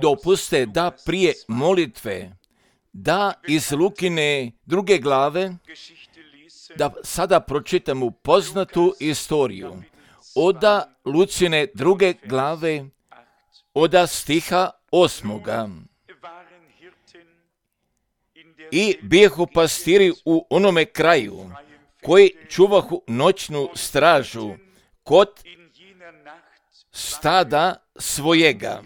Dopuste da prije molitve, da iz Lukine 2. glave, da sada pročitamo poznatu istoriju. Oda Lucine 2. glave, oda stiha 8. I bijehu pastiri u onome kraju, koji čuvahu noćnu stražu kod stada svojega.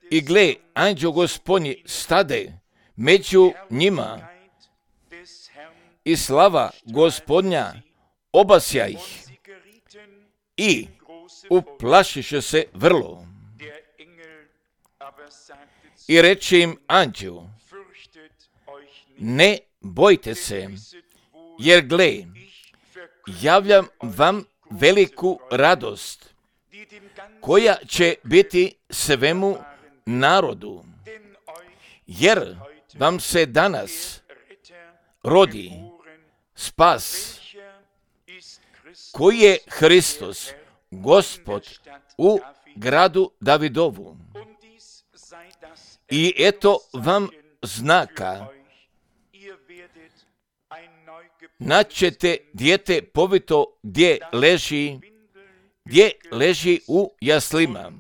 I gle, anđeo Gospodnji stade među njima i slava Gospodnja obasja ih i uplašiše se vrlo. I reče im anđeo, ne bojte se, jer gle, javljam vam veliku radost, koja će biti svemu narodu, jer vam se danas rodi spas, koji je Hristos, Gospod, u gradu Davidovu. I eto vam znaka, naćete dijete povito gdje leži u jaslima.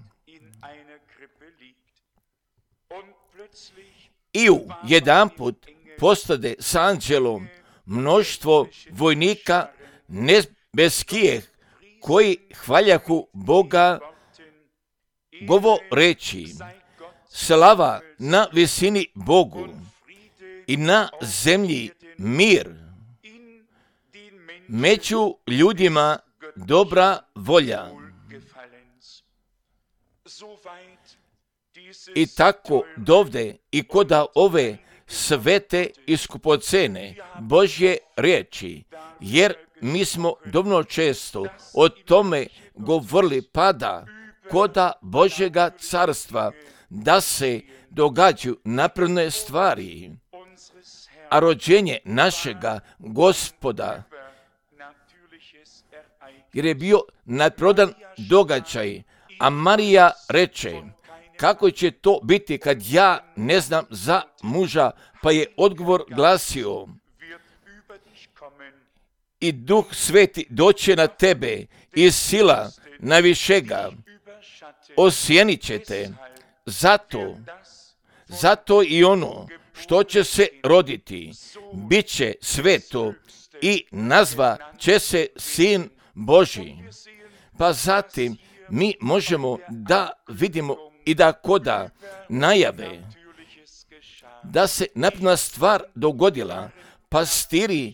I jedanput postade s anđelom mnoštvo vojnika nebeskih, koji hvaljahu Boga, govoreći, slava na visini Bogu i na zemlji mir, među ljudima dobra volja. I tako dovde i koda ove svete i skupocene Božje riječi, jer mi smo dovoljno često o tome govorili, pada koda Božjega carstva da se događaju napredne stvari, a rođenje našega Gospoda, jer je bio naprodan događaj, a Marija reče, kako će to biti kad ja ne znam za muža, pa je odgovor glasio, i Duh Sveti doće na tebe i sila najvišega osjenit će te. Zato i ono što će se roditi, bit će sveto i nazva će se Sin Božji. Pa zatim mi možemo da vidimo i da koda najave da se napredna stvar dogodila. Pastiri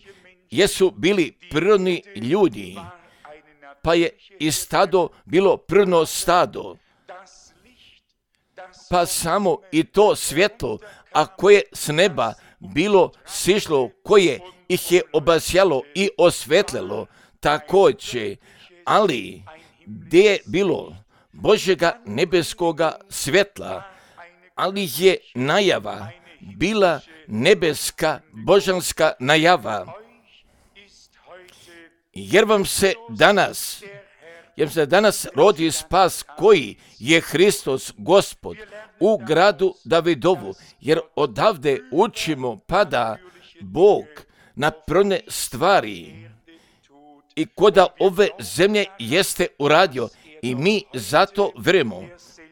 jesu bili prirodni ljudi, pa je i stado bilo prirodno stado. Pa samo i to svjetlo, a koje s neba bilo sišlo, koje ih je obasjalo i osvetlilo, također, ali gdje je bilo Božjega nebeskoga svjetla, ali je najava bila nebeska božanska najava, jer vam se danas rodi spas, koji je Hristos Gospod u gradu Davidovu, jer odavde učimo pada Bog na prone stvari i koda ove zemlje jeste uradio, i mi zato vjerujemo,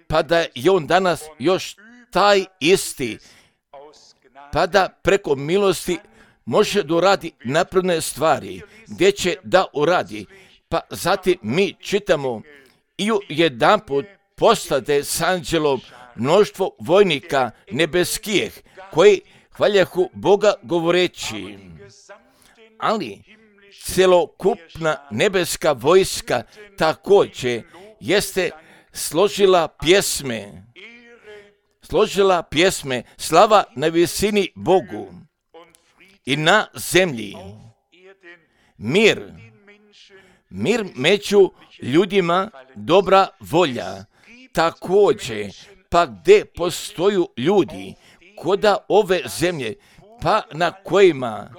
pa da je on danas još taj isti, pa da preko milosti može da uradi napredne stvari, gdje će da uradi. Pa zatim mi čitamo, i jedanput postade s anđelom mnoštvo vojnika nebeskih, koji hvaljahu Boga govoreći, ali celokupna nebeska vojska također jeste složila pjesme, slava na visini Bogu i na zemlji mir među ljudima dobra volja. Također, pa gdje postoju ljudi koda ove zemlje, pa na kojima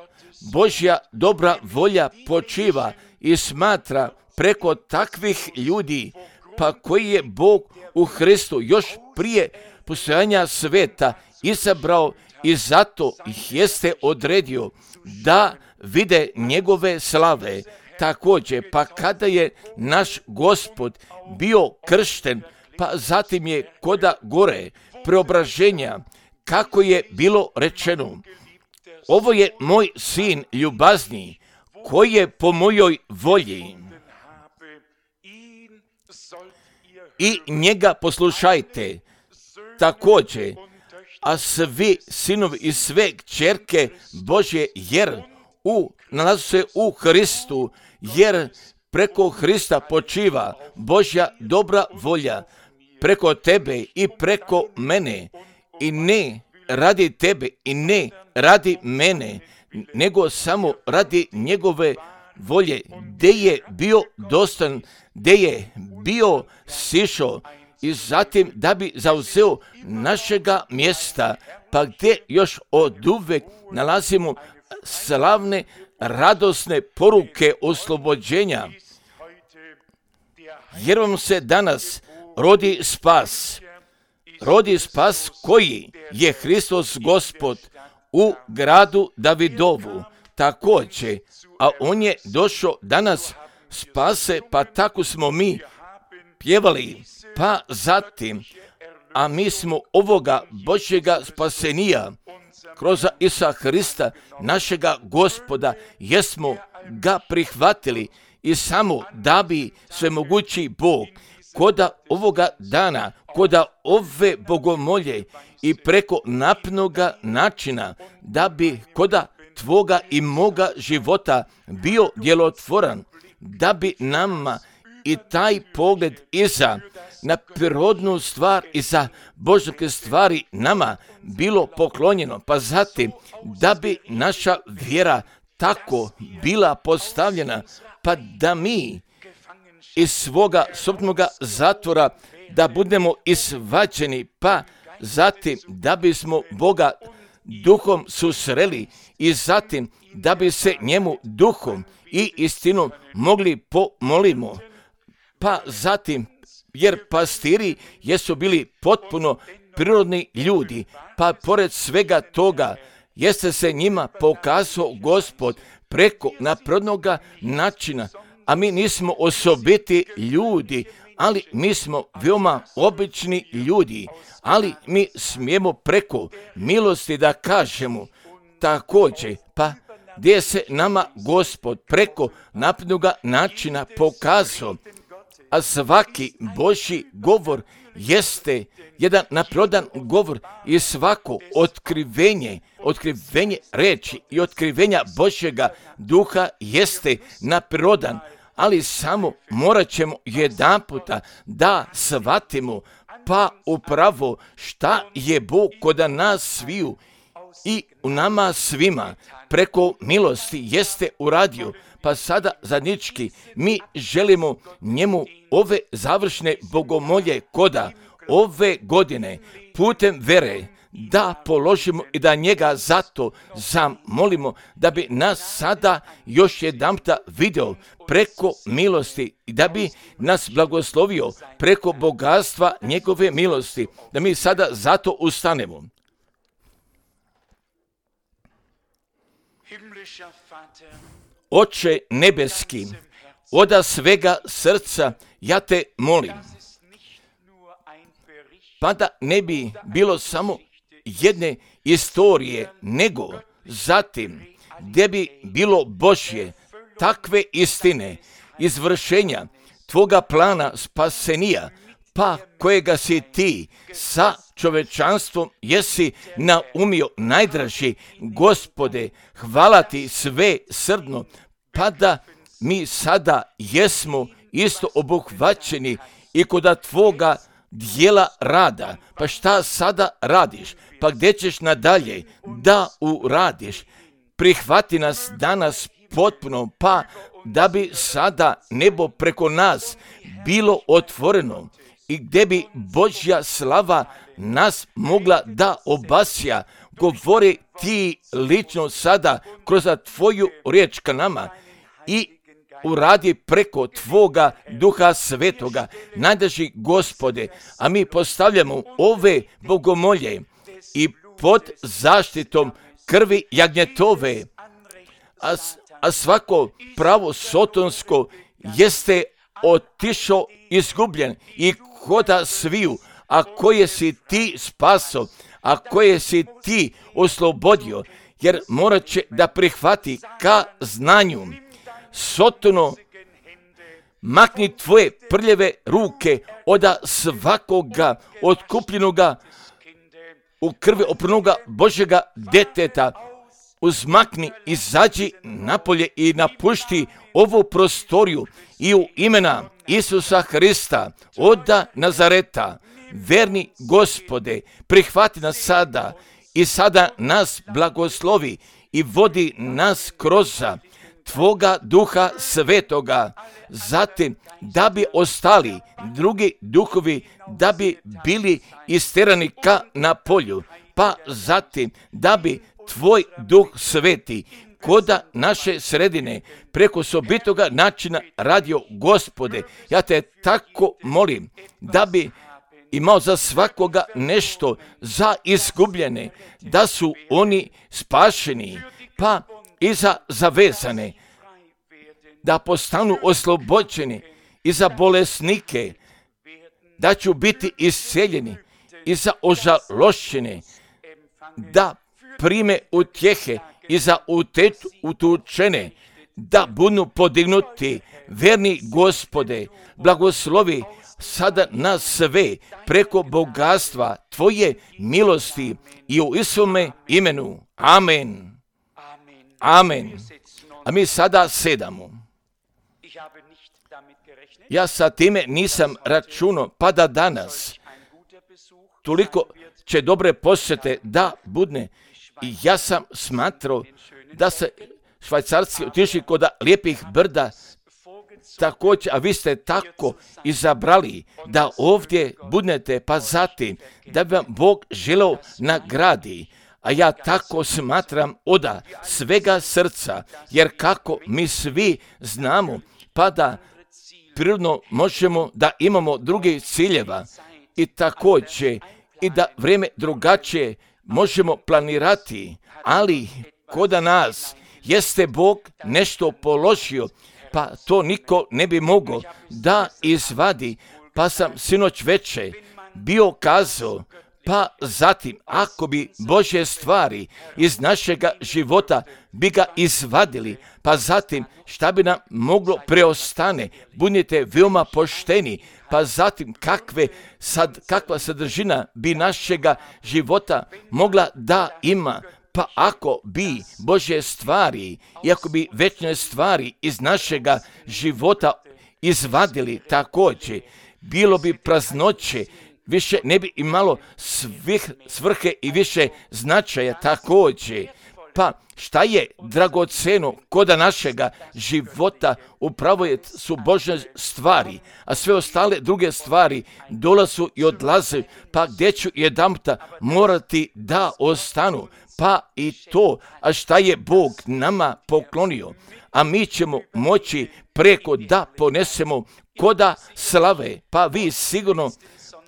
Božja dobra volja počiva i smatra preko takvih ljudi, pa koji je Bog u Hristu još prije postojanja sveta izabrao i zato ih jeste odredio da vide njegove slave. Također, pa kada je naš Gospod bio kršten, pa zatim je koda gore preobraženja, kako je bilo rečeno, ovo je moj sin ljubazni, koji je po mojoj volji. I njega poslušajte. Također, a svi sinovi i sve kćerke Božje, jer nalazu se u Hristu, jer preko Hrista počiva Božja dobra volja preko tebe i preko mene, i ne radi tebe i ne radi mene, nego samo radi njegove volje, gdje je bio dostan, gdje je bio sišao i zatim da bi zauzeo našega mjesta, pa gdje još oduvek nalazimo slavne, radosne poruke oslobođenja, jer vam se danas rodi spas koji je Hristos Gospod u gradu Davidovu. Također, a on je došao danas spase, pa tako smo mi pjevali, pa zatim, a mi smo ovoga Božjega spasenija kroz Isusa Hrista, našega Gospoda, jesmo ga prihvatili i samo da bi svemogući Bog koda ovoga dana, koda ove bogomolje i preko napnoga načina, da bi koda tvoga i moga života bio djelotvoran, da bi nama i taj pogled iza na prirodnu stvar i za Božje stvari nama bilo poklonjeno, pa zatim da bi naša vjera tako bila postavljena, pa da mi iz svoga sobnoga zatvora da budemo izvađeni, pa zatim da bismo Boga duhom susreli i zatim da bi se njemu duhom i istinom mogli pomolimo. Pa zatim, jer pastiri jesu bili potpuno prirodni ljudi, pa pored svega toga jeste se njima pokazao Gospod preko naprednoga načina, a mi nismo osobiti ljudi, ali mi smo veoma obični ljudi, ali mi smijemo preko milosti da kažemo također, pa gdje se nama Gospod preko naprednoga načina pokazao, a svaki Božji govor jeste jedan naprodan govor i svako otkrivenje reči i otkrivenja Božjega duha jeste naprodan, ali samo morat ćemo jedanputa da shvatimo pa upravo šta je Bog kod nas sviju i u nama svima preko milosti jeste uradio. Pa sada zadnjički mi želimo njemu ove završne bogomolje koda ove godine putem vere da položimo i da njega zato zamolimo da bi nas sada još jedanputa vidio preko milosti i da bi nas blagoslovio preko bogatstva njegove milosti, da mi sada zato ustanemo. Oče nebeski, od svega srca ja te molim, pa da ne bi bilo samo jedne istorije, nego zatim gdje bi bilo Božje takve istine, izvršenja tvoga plana spasenija, pa kojega si ti sa čovečanstvom jesi naumio najdraži. Gospode, hvala ti sve srdno, pa da mi sada jesmo isto obuhvaćeni i kod tvoga dijela rada. Pa šta sada radiš? Pa gdje ćeš nadalje da uradiš? Prihvati nas danas potpuno, pa da bi sada nebo preko nas bilo otvoreno i gdje bi Božja slava nas mogla da obasja govori ti lično sada kroz tvoju riječ ka nama i uradi preko tvoga Duha Svetoga, najdraži Gospode, a mi postavljamo ove bogomolje i pod zaštitom krvi jagnjetove, a svako pravo sotonsko jeste otišao izgubljen i koda sviju, a koje si ti spaso, a koje si ti oslobodio, jer morat će da prihvati ka znanju. Sotono, makni tvoje prljave ruke od svakoga otkupljenoga u krvi opranoga Božjega deteta. Uzmakni, izađi napolje i napušti ovu prostoriju i u imena Isusa Hrista od Nazareta. Verni Gospode, prihvati nas sada i sada nas blagoslovi i vodi nas kroz tvoga Duha Svetoga, zatim da bi ostali drugi duhovi, da bi bili isterani ka na polju, pa zatim da bi tvoj Duh Sveti koda naše sredine preko sobitoga načina radio. Gospode, ja te tako molim da bi imao za svakoga nešto, za izgubljene, da su oni spašeni, pa i za zavezane, da postanu oslobođeni, i za bolesnike, da ću biti isceljeni, i za ožalošćene, da prime utjehe, i za utučene, da budu podignuti. Verni Gospode, blagoslovi sada nas sve preko bogatstva tvoje milosti i u Isume imenu. Amen. Amen. A mi sada sedamo. Ja sa time nisam računao, pa da danas toliko će dobre posjete da budne. I ja sam smatrao da se Švajcarci otišli kod lijepih brda također, a vi ste tako izabrali da ovdje budnete, pa zatim da bi vam Bog želeo nagradi. A ja tako smatram od svega srca, jer kako mi svi znamo, pa da prirodno možemo da imamo drugih ciljeva i također i da vrijeme drugačije možemo planirati, ali kod nas jeste Bog nešto položio, pa to niko ne bi mogao da izvadi. Pa sam sinoć veče bio kazao, pa zatim ako bi Božje stvari iz našega života bi ga izvadili, pa zatim šta bi nam moglo preostane, budite veoma pošteni, pa zatim kakva sadržina bi našega života mogla da ima. Pa ako bi Božje stvari i ako bi večne stvari iz našega života izvadili također, bilo bi praznoće, više ne bi imalo svrhe i više značaja također. Pa šta je dragoceno koda našega života, upravo su Božje stvari, a sve ostale druge stvari dolazu i odlaze, pa gdje ću jedanputa morati da ostanu. Pa i to, a šta je Bog nama poklonio, a mi ćemo moći preko da ponesemo koda slave. Pa vi sigurno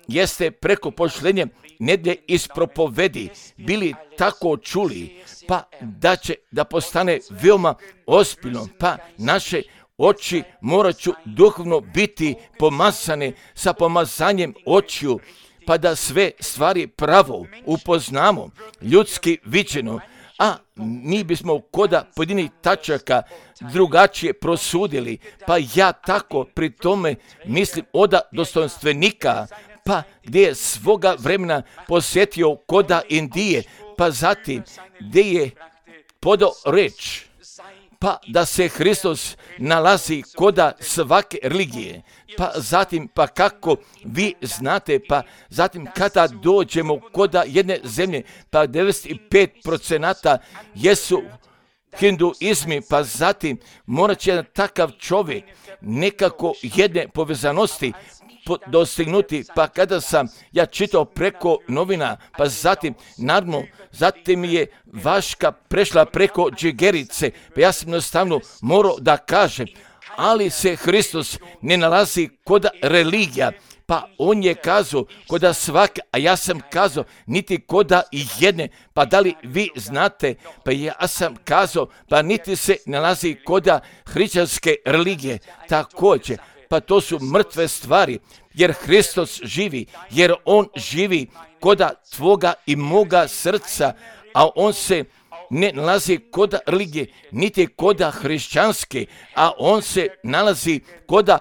jeste preko pošlenje nedjelje iz propovedi bili tako čuli, pa da će da postane veoma ozbiljno, pa naše oči morat ću duhovno biti pomazane sa pomazanjem očiju, pa da sve stvari pravo upoznamo, ljudski viđeno, a mi bismo koda pojedinih tačaka drugačije prosudili, pa ja tako pri tome mislim od dostojanstvenika, pa gdje je svoga vremena posjetio koda Indije, pa zatim gdje je podao reč, pa da se Hristos nalazi koda svake religije, pa zatim pa kako vi znate, pa zatim kada dođemo koda jedne zemlje, pa 95% jesu hinduizmi, pa zatim morat će jedan takav čovjek nekako jedne povezanosti dostignuti. Pa kada sam ja čitao preko novina, pa zatim naravno, zatim je vaška prešla preko džigerice, pa ja sam jednostavno morao da kažem, ali se Hristos ne nalazi kod religija, pa on je kazao koda svake, a ja sam kazao niti koda i jedne, pa da li vi znate, pa ja sam kazao, pa niti se nalazi koda hrišćanske religije, također, pa to su mrtve stvari, jer Hristos živi, jer on živi koda tvoga i moga srca, a on se ne nalazi koda religije, niti koda hrišćanske, a on se nalazi koda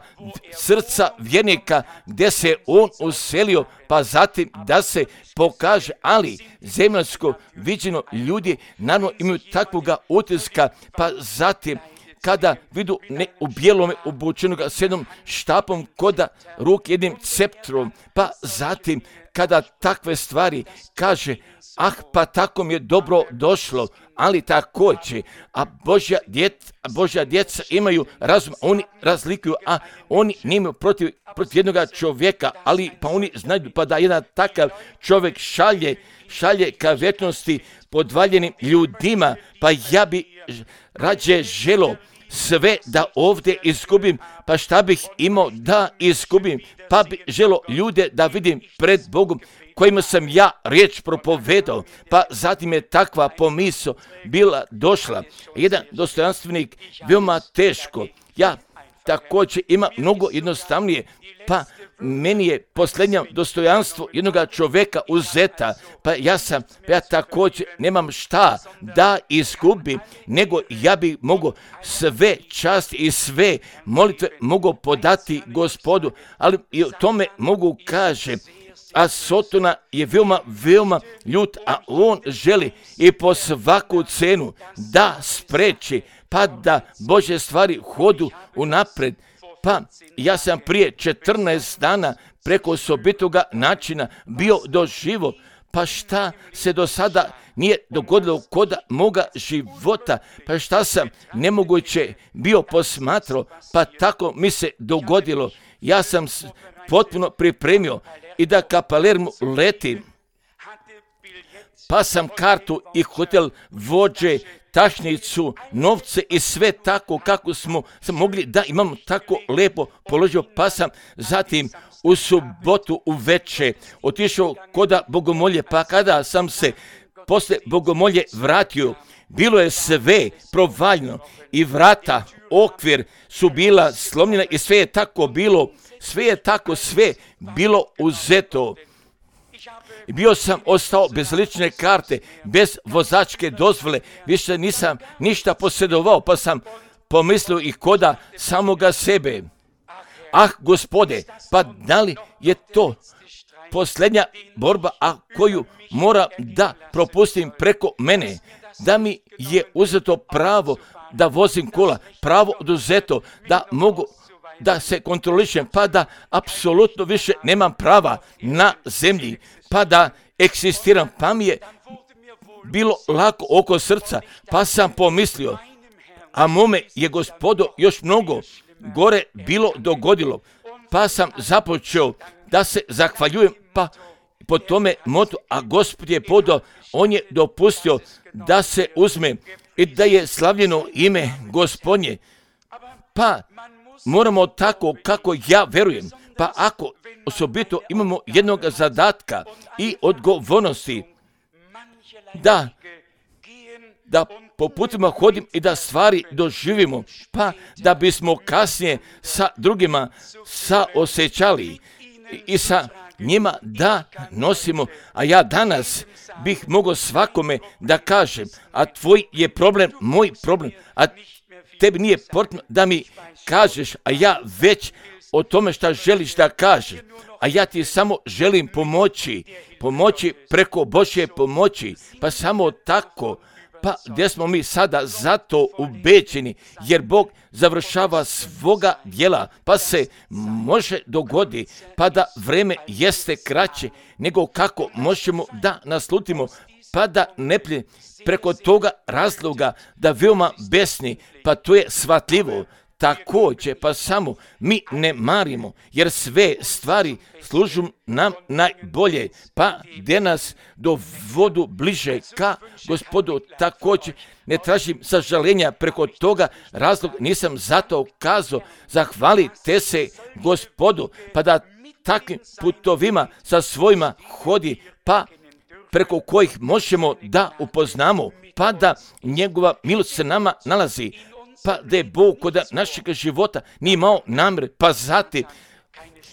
srca vjernika, gdje se on uselio, pa zatim da se pokaže, ali zemaljsko viđeno ljudi naravno imaju takvoga utiska, pa zatim kada vidu ne u bijelome obučenoga s jednom štapom koda ruk, jednim ceptrom, pa zatim kada takve stvari kaže, pa tako mi je dobro došlo, ali također, a Božja djeca imaju razum, oni razlikuju, a oni nemaju protiv jednog čovjeka, ali pa oni znaju, pa da jedan takav čovjek šalje ka vječnosti podvaljenim ljudima, pa ja bi rađe želo sve da ovdje izgubim, pa šta bih imao da izgubim, pa bi želo ljude da vidim pred Bogom kojima sam ja riječ propovedao, pa zatim je takva pomisao bila došla. Jedan dostojanstvenik veoma teško, ja također ima mnogo jednostavnije, pa meni je posljednje dostojanstvo jednog čovjeka uzeta, pa ja također nemam šta da izgubim, nego ja bi mogao sve časti i sve molitve mogu podati Gospodu, ali i o tome mogu kaže, a Sotona je veoma ljut, a on želi i po svaku cenu da spreči, pa da Božje stvari hodu unapred. Pa ja sam prije 14 dana preko osobitoga načina bio doživo, pa šta se do sada nije dogodilo kod moga života, pa šta sam nemoguće bio posmatrao, pa tako mi se dogodilo. Ja sam potpuno pripremio i da ka Palermu letim, pa sam kartu i hotel vođe, tašnicu, novce i sve tako kako sam mogli da imamo tako lepo položio, pa sam zatim u subotu uveče otišao koda bogomolje, pa kada sam se posle bogomolje vratio, bilo je sve provaljno i vrata, okvir su bila slomljena i sve je bilo uzeto. Bio sam ostao bez lične karte, bez vozačke dozvole, više nisam ništa posjedovao, pa sam pomislio i koda samoga sebe. Gospode, pa da li je to posljednja borba, a koju moram da propustim preko mene, da mi je uzeto pravo da vozim kola, pravo oduzeto, da mogu da se kontrolišem, pa da apsolutno više nemam prava na zemlji, pa da egzistiram, pa mi je bilo lako oko srca, pa sam pomislio, a mome je Gospodo još mnogo gore bilo dogodilo, pa sam započeo da se zahvaljujem, pa po tome motu, a Gospod je podao, on je dopustio da se uzme i da je slavljeno ime Gospodnje, pa moramo tako kako ja verujem, pa ako osobito imamo jednog zadatka i odgovornosti da po putima hodim i da stvari doživimo, pa da bismo kasnije sa drugima saosjećali i sa njima da nosimo, a ja danas bih mogao svakome da kažem, a tvoj je problem moj problem, a tebi nije potrebno da mi kažeš, a ja već o tome šta želiš da kažeš, a ja ti samo želim pomoći preko Božje pomoći, pa samo tako, pa gdje smo mi sada zato ubeđeni, jer Bog završava svoga djela, pa se može dogodi, pa da vreme jeste kraće nego kako možemo da naslutimo, pa da ne plije preko toga razloga da veoma besni, pa to je shvatljivo. Također, pa samo mi ne marimo, jer sve stvari služu nam najbolje, pa gdje nas dovodu bliže ka Gospodu. Također, ne tražim sažaljenja preko toga razloga, nisam zato kazao, zahvalite se Gospodu, pa da takvim putovima sa svojima hodi, pa preko kojih možemo da upoznamo, pa da njegova milost se nama nalazi, pa da je Bog kod našeg života nije imao namjer, pa zatim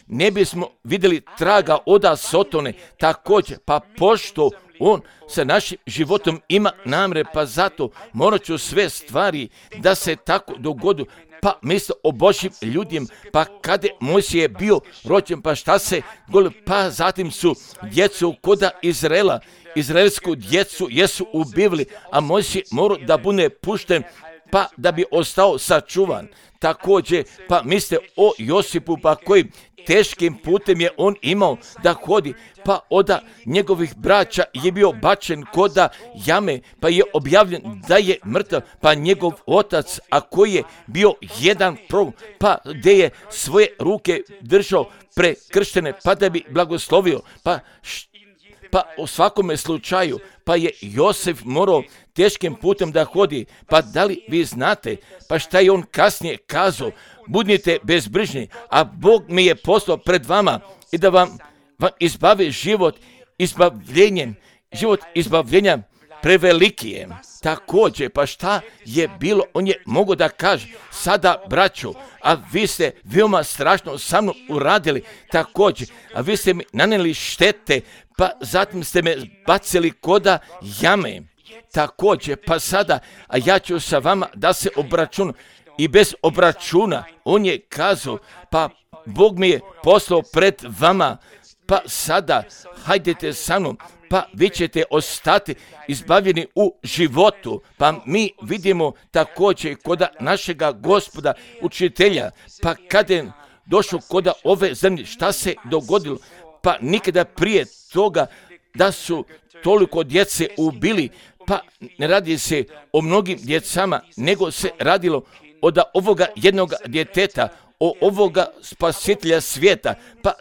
ne bismo vidjeli traga oda Sotone, također, pa pošto on sa našim životom ima namjer, pa zato morat ću sve stvari da se tako dogodu, pa misle o Božjim ljudima, pa kada Mojsije je bio rođen, pa šta se goli, pa zatim su djecu koda Izraela, izraelsku djecu jesu ubivali, a Mojsije mora da bude pušten, pa da bi ostao sačuvan. Također, pa misle o Josipu, pa kojim teškim putem je on imao da hodi, pa od njegovih braća je bio bačen koda jame, pa je objavljen da je mrtav, pa njegov otac, a koji je bio jedan prorok, pa gdje je svoje ruke držao prekrštene, pa da bi blagoslovio, pa u svakome slučaju, pa je Josif morao teškim putem da hodi, pa da li vi znate, pa šta je on kasnije kazao, budite bezbrižni, a Bog mi je poslao pred vama i da vam izbavi život izbavljenja preveliki je. Također, pa šta je bilo, on je mogao da kaže, sada braćo, a vi ste veoma strašno sa mnom uradili, također, a vi ste mi nanijeli štete, pa zatim ste me bacili koda jame. Također, pa sada, a ja ću sa vama da se obračunam. I bez obračuna, on je kazao, pa Bog mi je poslao pred vama, pa sada hajdete sa mnom, pa vi ćete ostati izbavljeni u životu. Pa mi vidimo također koda našega Gospoda, učitelja, pa kada je došao koda ove zemlje, šta se dogodilo? Pa nikada prije toga da su toliko djece ubili, pa ne radi se o mnogim djecama, nego se radilo od ovoga jednog djeteta, o ovoga spasitelja svijeta, pa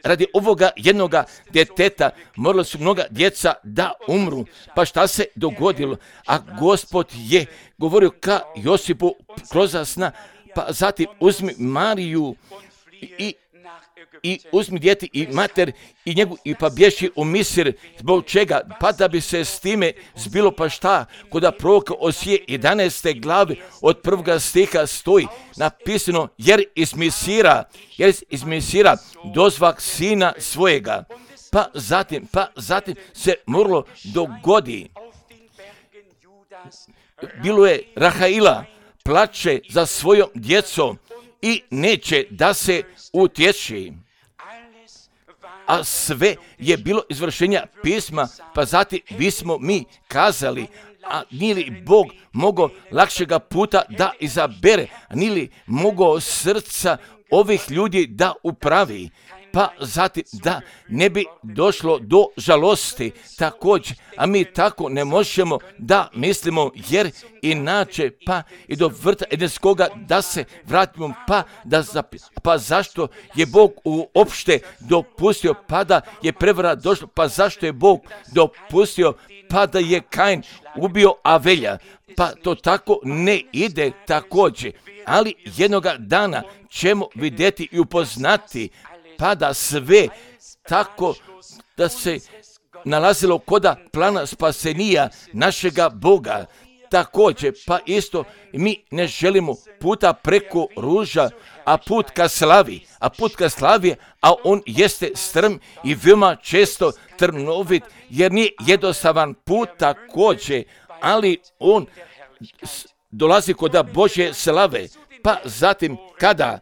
radi ovoga jednoga djeteta morala su mnoga djeca da umru. Pa šta se dogodilo? A Gospod je govorio ka Josipu kroz sna, pa zatim uzmi Mariju i uzmi dijete i mater i njegu i pa bježi u Misir. Zbog čega? Pa da bi se s time zbilo, pa šta? Koda proroka Osije 11. glavi od 1. stiha stoji napisano, jer iz Misira dozvak sina svojega. Pa zatim se moralo dogodi. Bilo je Rahaila, plače za svojom djecom i neće da se utječi. A sve je bilo izvršenja pisma, pa zatim bismo mi kazali, a nije li Bog mogao lakšega puta da izabere, a nije li mogao srca ovih ljudi da upravi, pa zatim da ne bi došlo do žalosti također, a mi tako ne možemo da mislimo, jer inače pa i do vrta edenskoga da se vratimo, pa zašto je Bog uopšte dopustio pa da je prevara došla, pa zašto je Bog dopustio pa da je Kain ubio Avelja, pa to tako ne ide također, ali jednoga dana ćemo vidjeti i upoznati pa da sve tako da se nalazilo koda plana spasenija našega Boga. Također, pa isto mi ne želimo puta preko ruža, a put ka slavi, a on jeste strm i veoma često trnovit, jer nije jednostavan put također, ali on dolazi koda Božje slave. Pa zatim kada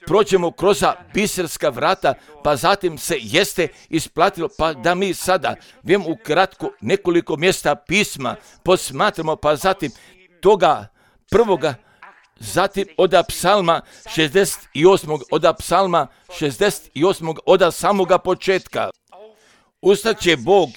prođemo kroz biserska vrata, pa zatim se jeste isplatilo, pa da mi sada vem ukratko nekoliko mjesta pisma posmatramo, pa zatim toga prvoga, zatim od psalma 68, od samoga početka. Ustaće Bog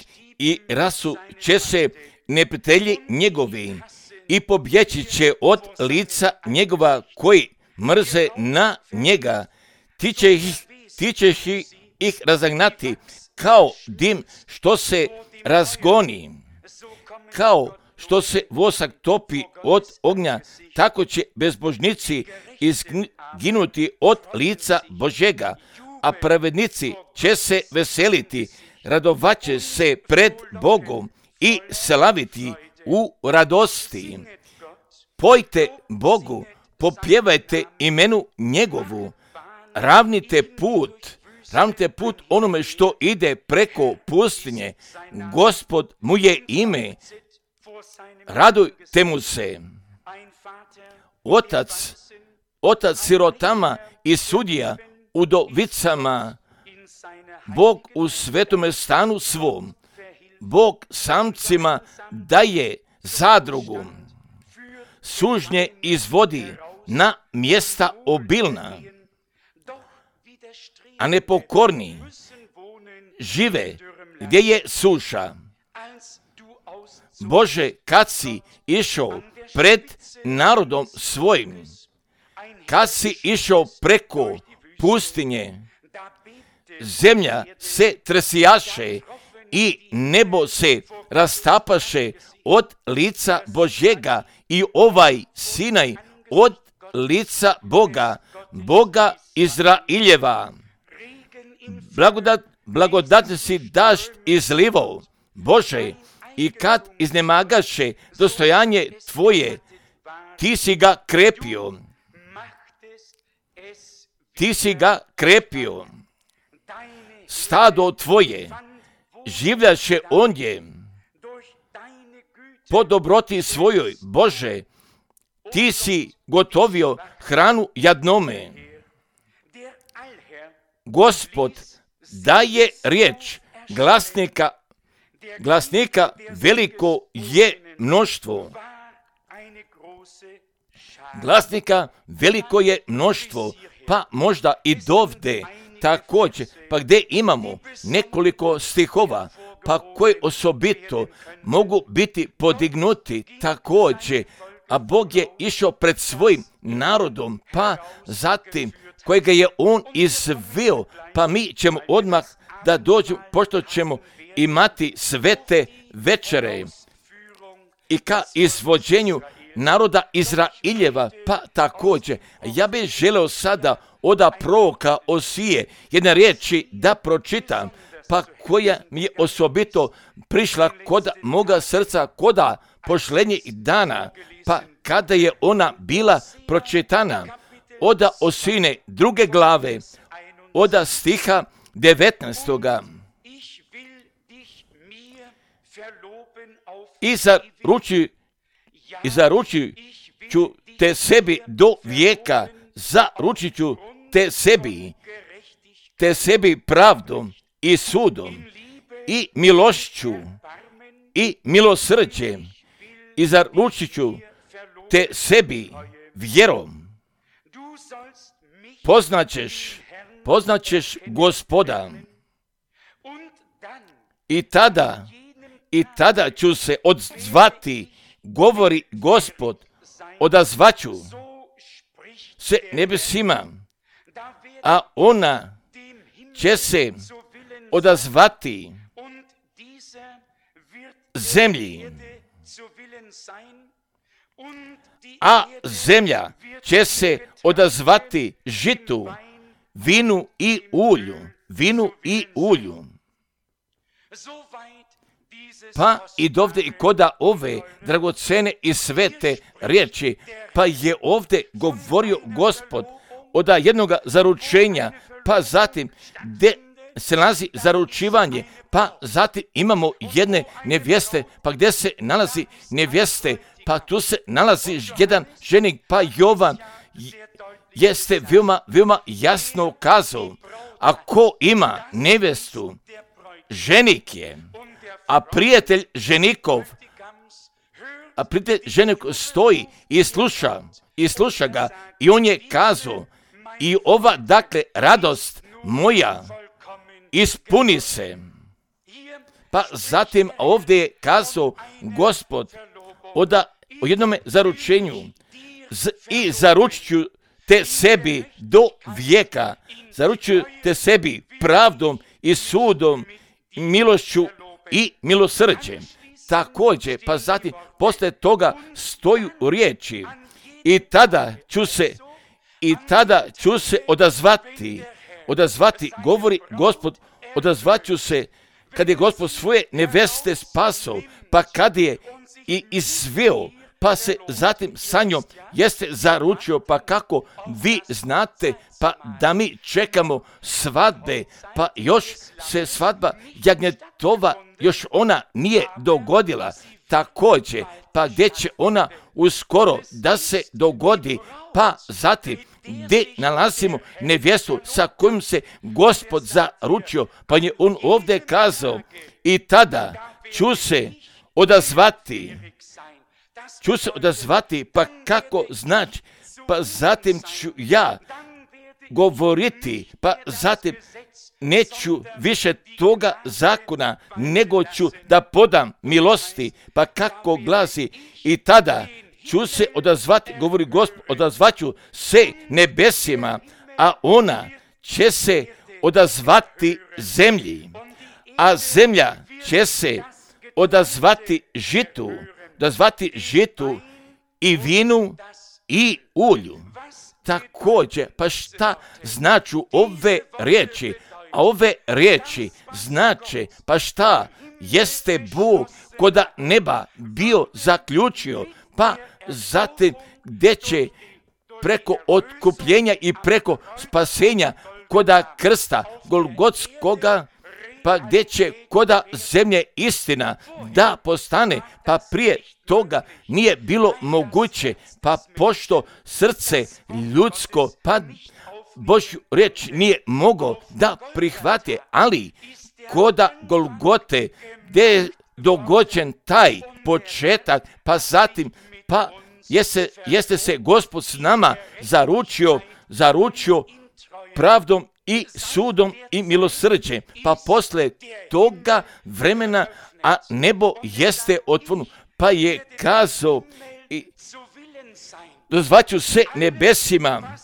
i rasut će se neprijatelji njegovi i pobjeći će od lica njegova koji mrze na njega. Ti ćeš ih razagnati kao dim što se razgoni, kao što se vosak topi od ognja, tako će bezbožnici izginuti od lica Božjega, a pravednici će se veseliti, radovaće se pred Bogom i slaviti u radosti. Pojte Bogu, popjevajte imenu njegovu, ravnite put onome što ide preko pustinje. Gospod mu je ime, radujte mu se. Otac sirotama i sudija udovicama, Bog u svetome stanu svom, Bog samcima daje zadrugu, sužnje izvodi na mjesta obilna, a nepokorni žive gdje je suša. Bože, kad si išao pred narodom svojim, kad si išao preko pustinje, zemlja se tresijaše i nebo se rastapaše od lica Božjega i ovaj Sinaj od lica Boga Izraeljeva. Blagodatni si dašt izlivao, Bože, i kad iznemagaše dostojanje Tvoje, Ti si ga krepio. Ti si ga krepio. Stado Tvoje življaše ondje. Po dobroti svojoj, Bože, Ti si gotovio hranu jadnome. Gospod daje riječ, glasnika veliko je mnoštvo. Glasnika veliko je mnoštvo, pa možda i dovde također, pa gdje imamo nekoliko stihova, pa koji osobito mogu biti podignuti također, a Bog je išao pred svojim narodom, pa zatim kojega je on izveo, pa mi ćemo odmah da dođemo, pošto ćemo imati svete večere i ka izvođenju naroda Izraeljeva, pa također. Ja bih želeo sada od proroka Osije jedne riječi da pročitam, pa koja mi je osobito prišla kod moga srca, koda posljednjih dana, pa kada je ona bila pročitana, od Osine 2. glave, od stiha 19. I zaručit ću te sebi do vijeka, zaručit ću te sebi pravdom i sudom i milošću i milosrđem i zaručit te sebi vjerom. Poznaćeš Gospoda i tada ću se odzvati, govori Gospod, odazvaću se nebesima, a ona će se odazvati zemlji, a zemlja će se odazvati žitu, vinu i ulju. Pa i dovde i koda ove dragocene i svete riječi, pa je ovdje govorio Gospod od jednog zaručenja, pa zatim gdje se nalazi zaručivanje, pa zatim imamo jedne nevjeste, pa gdje se nalazi nevjeste, pa tu se nalazi jedan ženik, pa Jovan jeste veoma jasno kazao, ako ima nevjestu, ženik je, a prijatelj ženikov stoji i sluša ga, i on je kazao, i ova dakle radost moja ispuni se. Pa zatim ovdje je kazao Gospod o jednome zaručenju i zaručit ću te sebi do vijeka, zaručuju te sebi pravdom i sudom, milošću i milosrđem. Također, pa zatim poslije toga stoju riječi i tada ću se odazvati, govori Gospod, odazvat ću se kad je Gospod svoje neveste spasao, pa kad je i izveo, pa se zatim sa njom jeste zaručio, pa kako vi znate, pa da mi čekamo svadbe, pa još se svadba jagnjetova, još ona nije dogodila, također, pa gdje će ona uskoro da se dogodi, pa zatim gdje nalazimo nevjestu sa kojom se Gospod zaručio, pa je on ovdje kazao i tada ću se odazvati, pa kako znači, pa zatim ću ja govoriti, pa zatim neću više toga zakona, nego ću da podam milosti, pa kako glasi i tada ću se odazvati, govori Gospod, odazvaću se nebesima, a ona će se odazvati zemlji, a zemlja će se odazvati žitu i vinu i ulju. Također, pa šta znači ove riječi? A ove riječi znače, pa šta jeste Bog koda neba bio zaključio, pa zatim gdje će preko otkupljenja i preko spasenja koda krsta Golgotskoga, pa gdje će koda zemlje istina da postane, pa prije toga nije bilo moguće, pa pošto srce ljudsko, pa Božju riječ nije mogao da prihvati, ali koda Golgote gdje je dogođen taj početak, pa zatim, pa jeste se Gospod s nama zaručio pravdom i sudom i milosrđem, pa poslije toga vremena, a nebo jeste otvoreno, pa je kazao i dozvaću se nebesima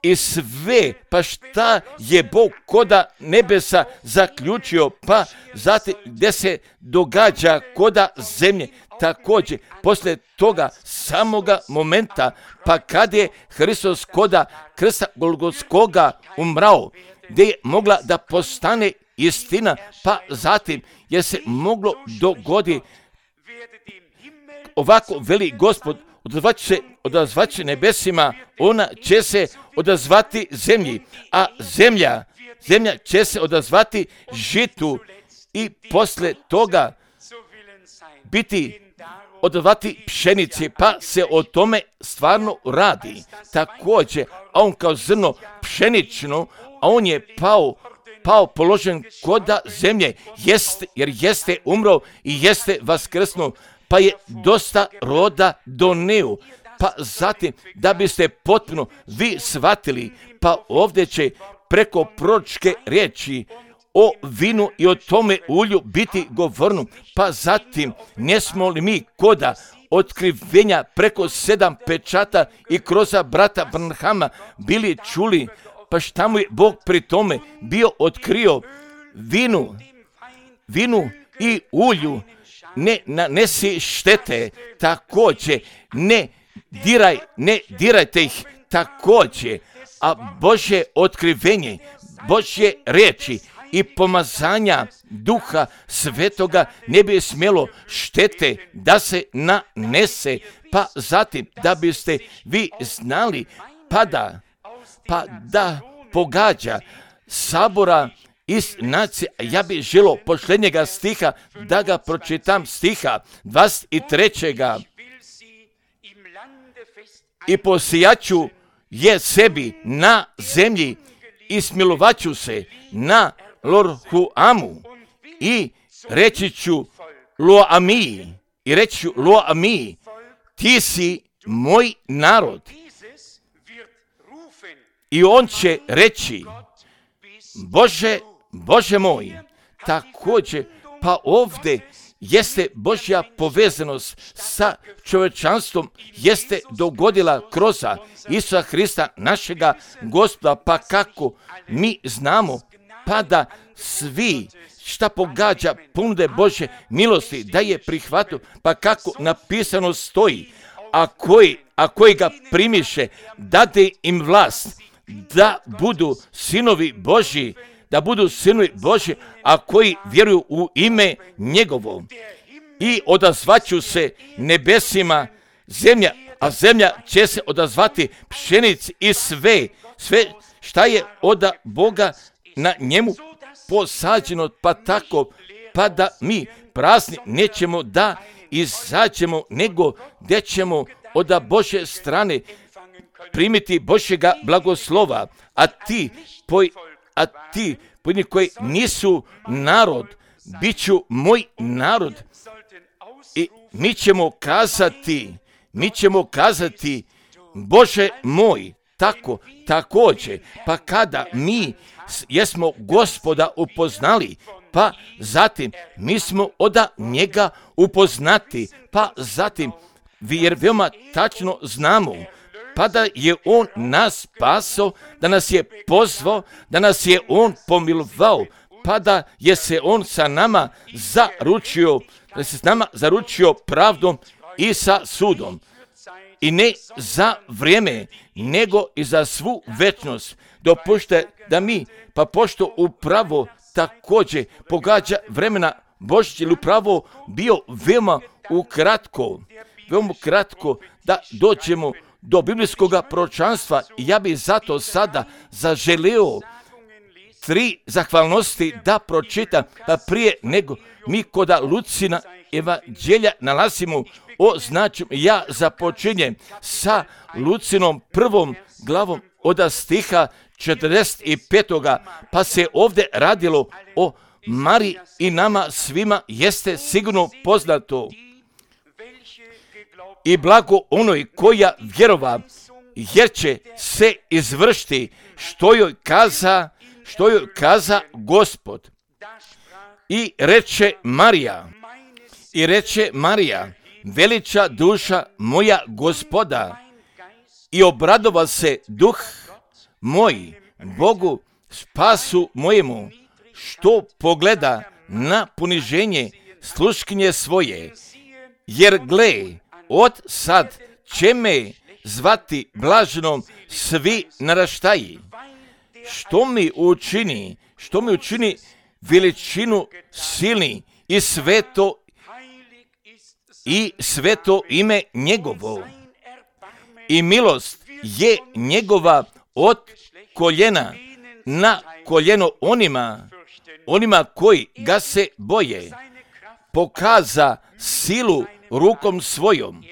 i sve, pa šta je Bog koda nebesa zaključio, pa zatim gdje se događa koda zemlje, također poslije toga samoga momenta, pa kad je Hristos koda krsta Golgotskoga umrao, gdje je mogla da postane istina, pa zatim je se moglo dogoditi ovako veli Gospod, odazvat će nebesima, ona će se odazvati zemlji, a zemlja će se odazvati žitu i poslije toga odazvati pšenici, pa se o tome stvarno radi. Također, a on kao zrno pšenično, a on je pao položen koda zemlje, jer jeste umro i jeste vaskrsnuo, pa je dosta roda doneo. Pa zatim, da biste potpuno vi shvatili, pa ovdje će preko proročke riječi o vinu i o tome ulju biti govorno. Pa zatim, ne smo li mi koda otkrivenja preko 7 pečata i kroz brata Branhama bili čuli, pa šta mu je Bog pri tome bio otkrio vinu i ulju, ne nanesi štete, također ne dirajte ih, također, a Božje otkrivenje, Božje riječi i pomazanja Duha Svetoga ne bi smjelo štete da se nanese, pa zatim da biste vi znali, pa da pogađa sabora iz nacije. Ja bih želio posljednjega stiha da ga pročitam, stiha 23. I posijaću je sebi na zemlji i smilovaću se na Lorhuamu i reći ću Loamiji, ti si moj narod. I on će reći, Bože moj, također Pa ovdje jeste Božja povezanost sa čovječanstvom, jeste dogodila kroz Isusa Hrista, našega Gospoda. Pa kako mi znamo, pa da svi šta pogađa ponude Božje milosti, da je prihvatio, pa kako napisano stoji, a koji ga primiše, dade im vlast da budu sinovi Božji, a koji vjeruju u ime njegovo. I odazvaću se nebesima zemlja, a zemlja će se odazvati pšenici i sve šta je od Boga na njemu posađeno, pa tako, pa da mi prazni nećemo da izađemo, nego gdje ćemo od Božje strane primiti Božjega blagoslova, a ti koji nisu narod, bit ću moj narod. I mi ćemo kazati, Bože moj, također, pa kada mi jesmo Gospoda upoznali, pa zatim mi smo od njega upoznati, pa zatim, jer veoma tačno znamo, pa da je on nas spasao, da nas je pozvao, da nas je on pomilovao, pa da je se on sa nama zaručio pravdom i sa sudom. I ne za vrijeme, nego i za svu večnost. Dopušte da mi, pa pošto upravo također pogađa vremena Božić, ili upravo bio veoma kratko da dođemo do biblijskog proročanstva. I ja bih zato sada zaželio 3 zahvalnosti da pročitam, pa prije nego mi kod Lucina evanđelja nalazimo ja započinjem sa Lucinom 1. glavom od stiha 45. pa se ovdje radilo o Mariji i nama svima jeste sigurno poznato. I blago onoj koja vjerova, jer će se izvršiti što joj kaza Gospod. I reče Marija, veliča duša moja Gospoda, i obradova se duh moj Bogu spasu mojemu, što pogleda na poniženje sluškinje svoje, jer gle, od sad će me zvati blaženom svi naraštaji. Što mi učini veličinu silni i sveto ime njegovo. I milost je njegova od koljena na koljeno onima koji ga se boje. Pokaza silu rukom svojom.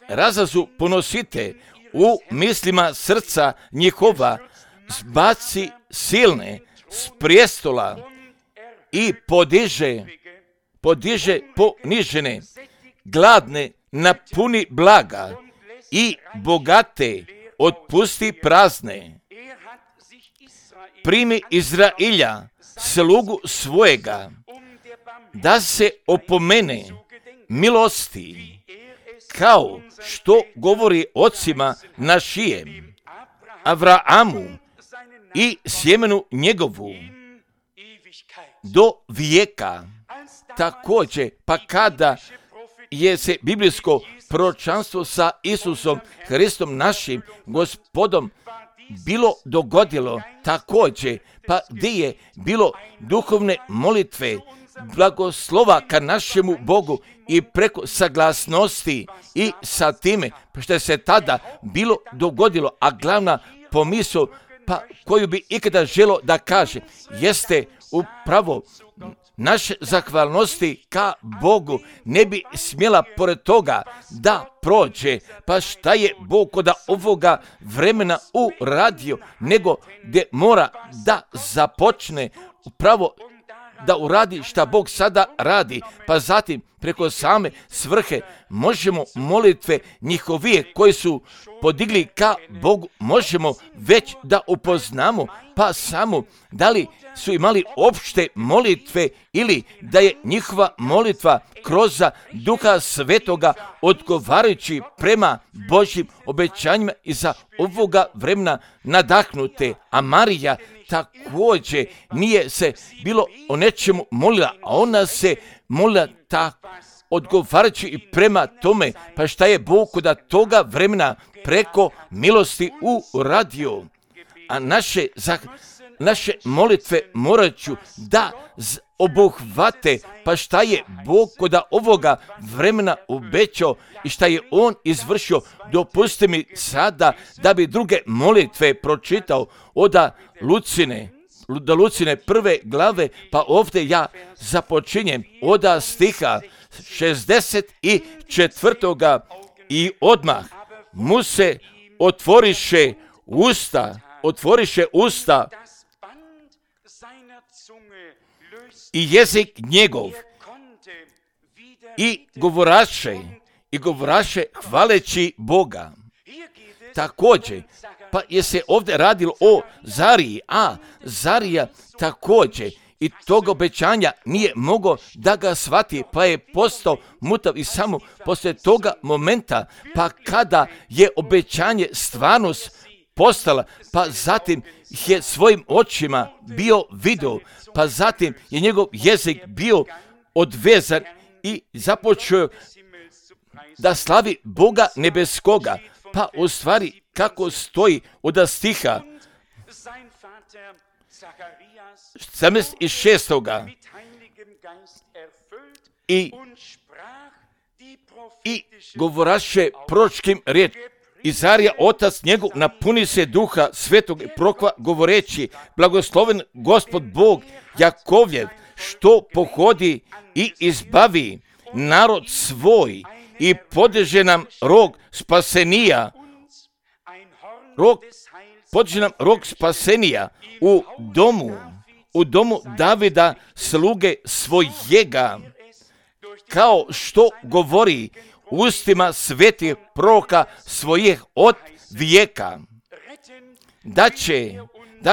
Razazu ponosite u mislima srca njihova, zbaci silne s prijestola i podiže ponižene, gladne napuni blaga i bogate otpusti prazne. Primi Izrailja, slugu svojega, da se opomene milosti, kao što govori ocima našijem, Avraamu i sjemenu njegovu do vijeka. Također, pa kada je se biblijsko proročanstvo sa Isusom Hristom našim Gospodom bilo dogodilo, također, pa gdje je bilo duhovne molitve, blagoslova ka našemu Bogu i preko saglasnosti i sa time što je se tada bilo dogodilo, a glavna pomisao pa koju bi ikada želo da kaže jeste upravo naše zahvalnosti ka Bogu ne bi smjela pored toga da prođe, pa šta je Bog kod ovoga vremena uradio, nego gdje mora da započne upravo da uradi šta Bog sada radi, pa zatim preko same svrhe, možemo molitve njihovije koje su podigli ka Bogu, možemo već da upoznamo, pa samo da li su imali opšte molitve ili da je njihova molitva kroz Duha Svetoga odgovarajući prema Božjim obećanjima i za ovoga vremena nadahnute. A Marija također nije se bilo o nečemu molila, a ona se molila tako odgovarajući i prema tome, pa šta je Bog kod toga vremena preko milosti uradio. A naše molitve morat ću da obuhvate, pa šta je Bog kod ovoga vremena obećao i šta je On izvršio. Dopusti mi sada da bi druge molitve pročitao od Lucine prve glave, pa ovdje ja započinjem od stiha 64. i odmah mu se otvoriše usta i jezik njegov i govoraše hvaleći Boga. Također, pa je se ovdje radilo o Zariji, a Zarija također i tog obećanja nije mogao da ga shvati, pa je postao mutav i samo poslije toga momenta, pa kada je obećanje stvarnost postala, pa zatim je svojim očima bio video, pa zatim je njegov jezik bio odvezan i započeo da slavi Boga nebeskoga, pa u stvari kako stoji od stiha 76. I govoraše proročkim riječ. Izarija, otac njegov, napuni se Duha Svetog i prokva govoreći, blagosloven Gospod Bog Jakovljev, što pohodi i izbavi narod svoj i podiže nam rog spasenija, rog spasenija u domu Davida sluge svojega, kao što govori ustima svetih proroka svojih od vijeka, da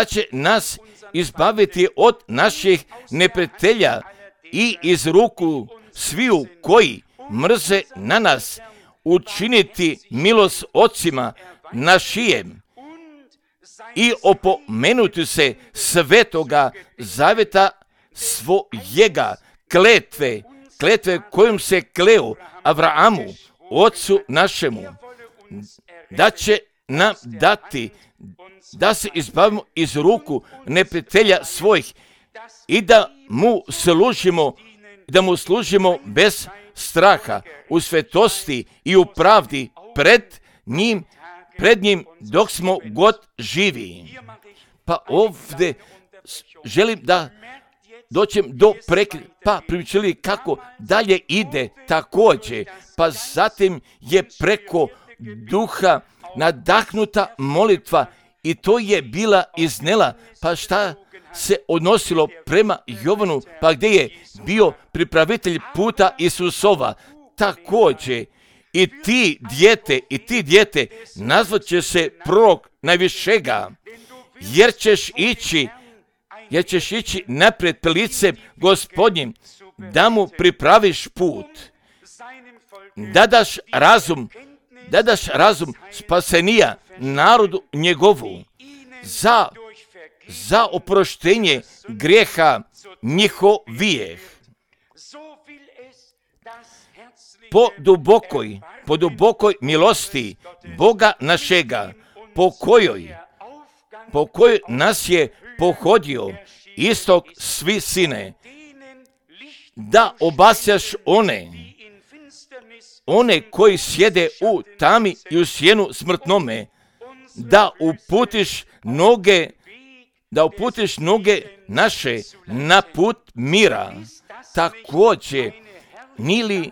će nas izbaviti od naših neprijatelja i iz ruku sviju koji mrze na nas, učiniti milost ocima našijem i opomenuti se svetoga zaveta svojega, kletve kojom se kleo Abrahamu, ocu našemu, da će nam dati da se izbavimo iz ruku neprijatelja svojih i da mu služimo bez straha, u svetosti i u pravdi pred njim dok smo god živi. Pa ovdje želim da doćem do pa pričali kako dalje ide također, pa zatim je preko Duha nadahnuta molitva i to je bila iznela, pa šta se odnosilo prema Jovanu, pa gdje je bio pripravitelj puta Isusova, također i ti dijete nazvat će se prorok najvišega, jer ćeš ići naprijed pred licem Gospodnjim, da mu pripraviš put, da daš razum spasenija narodu njegovu, za oproštenje grijeha njihovijeh. Po dubokoj milosti Boga našega, po kojoj nas je pohodio istok svi sine, da obasjaš one koji sjede u tami i u sjenu smrtnome, da uputiš noge naše na put mira. Također, nili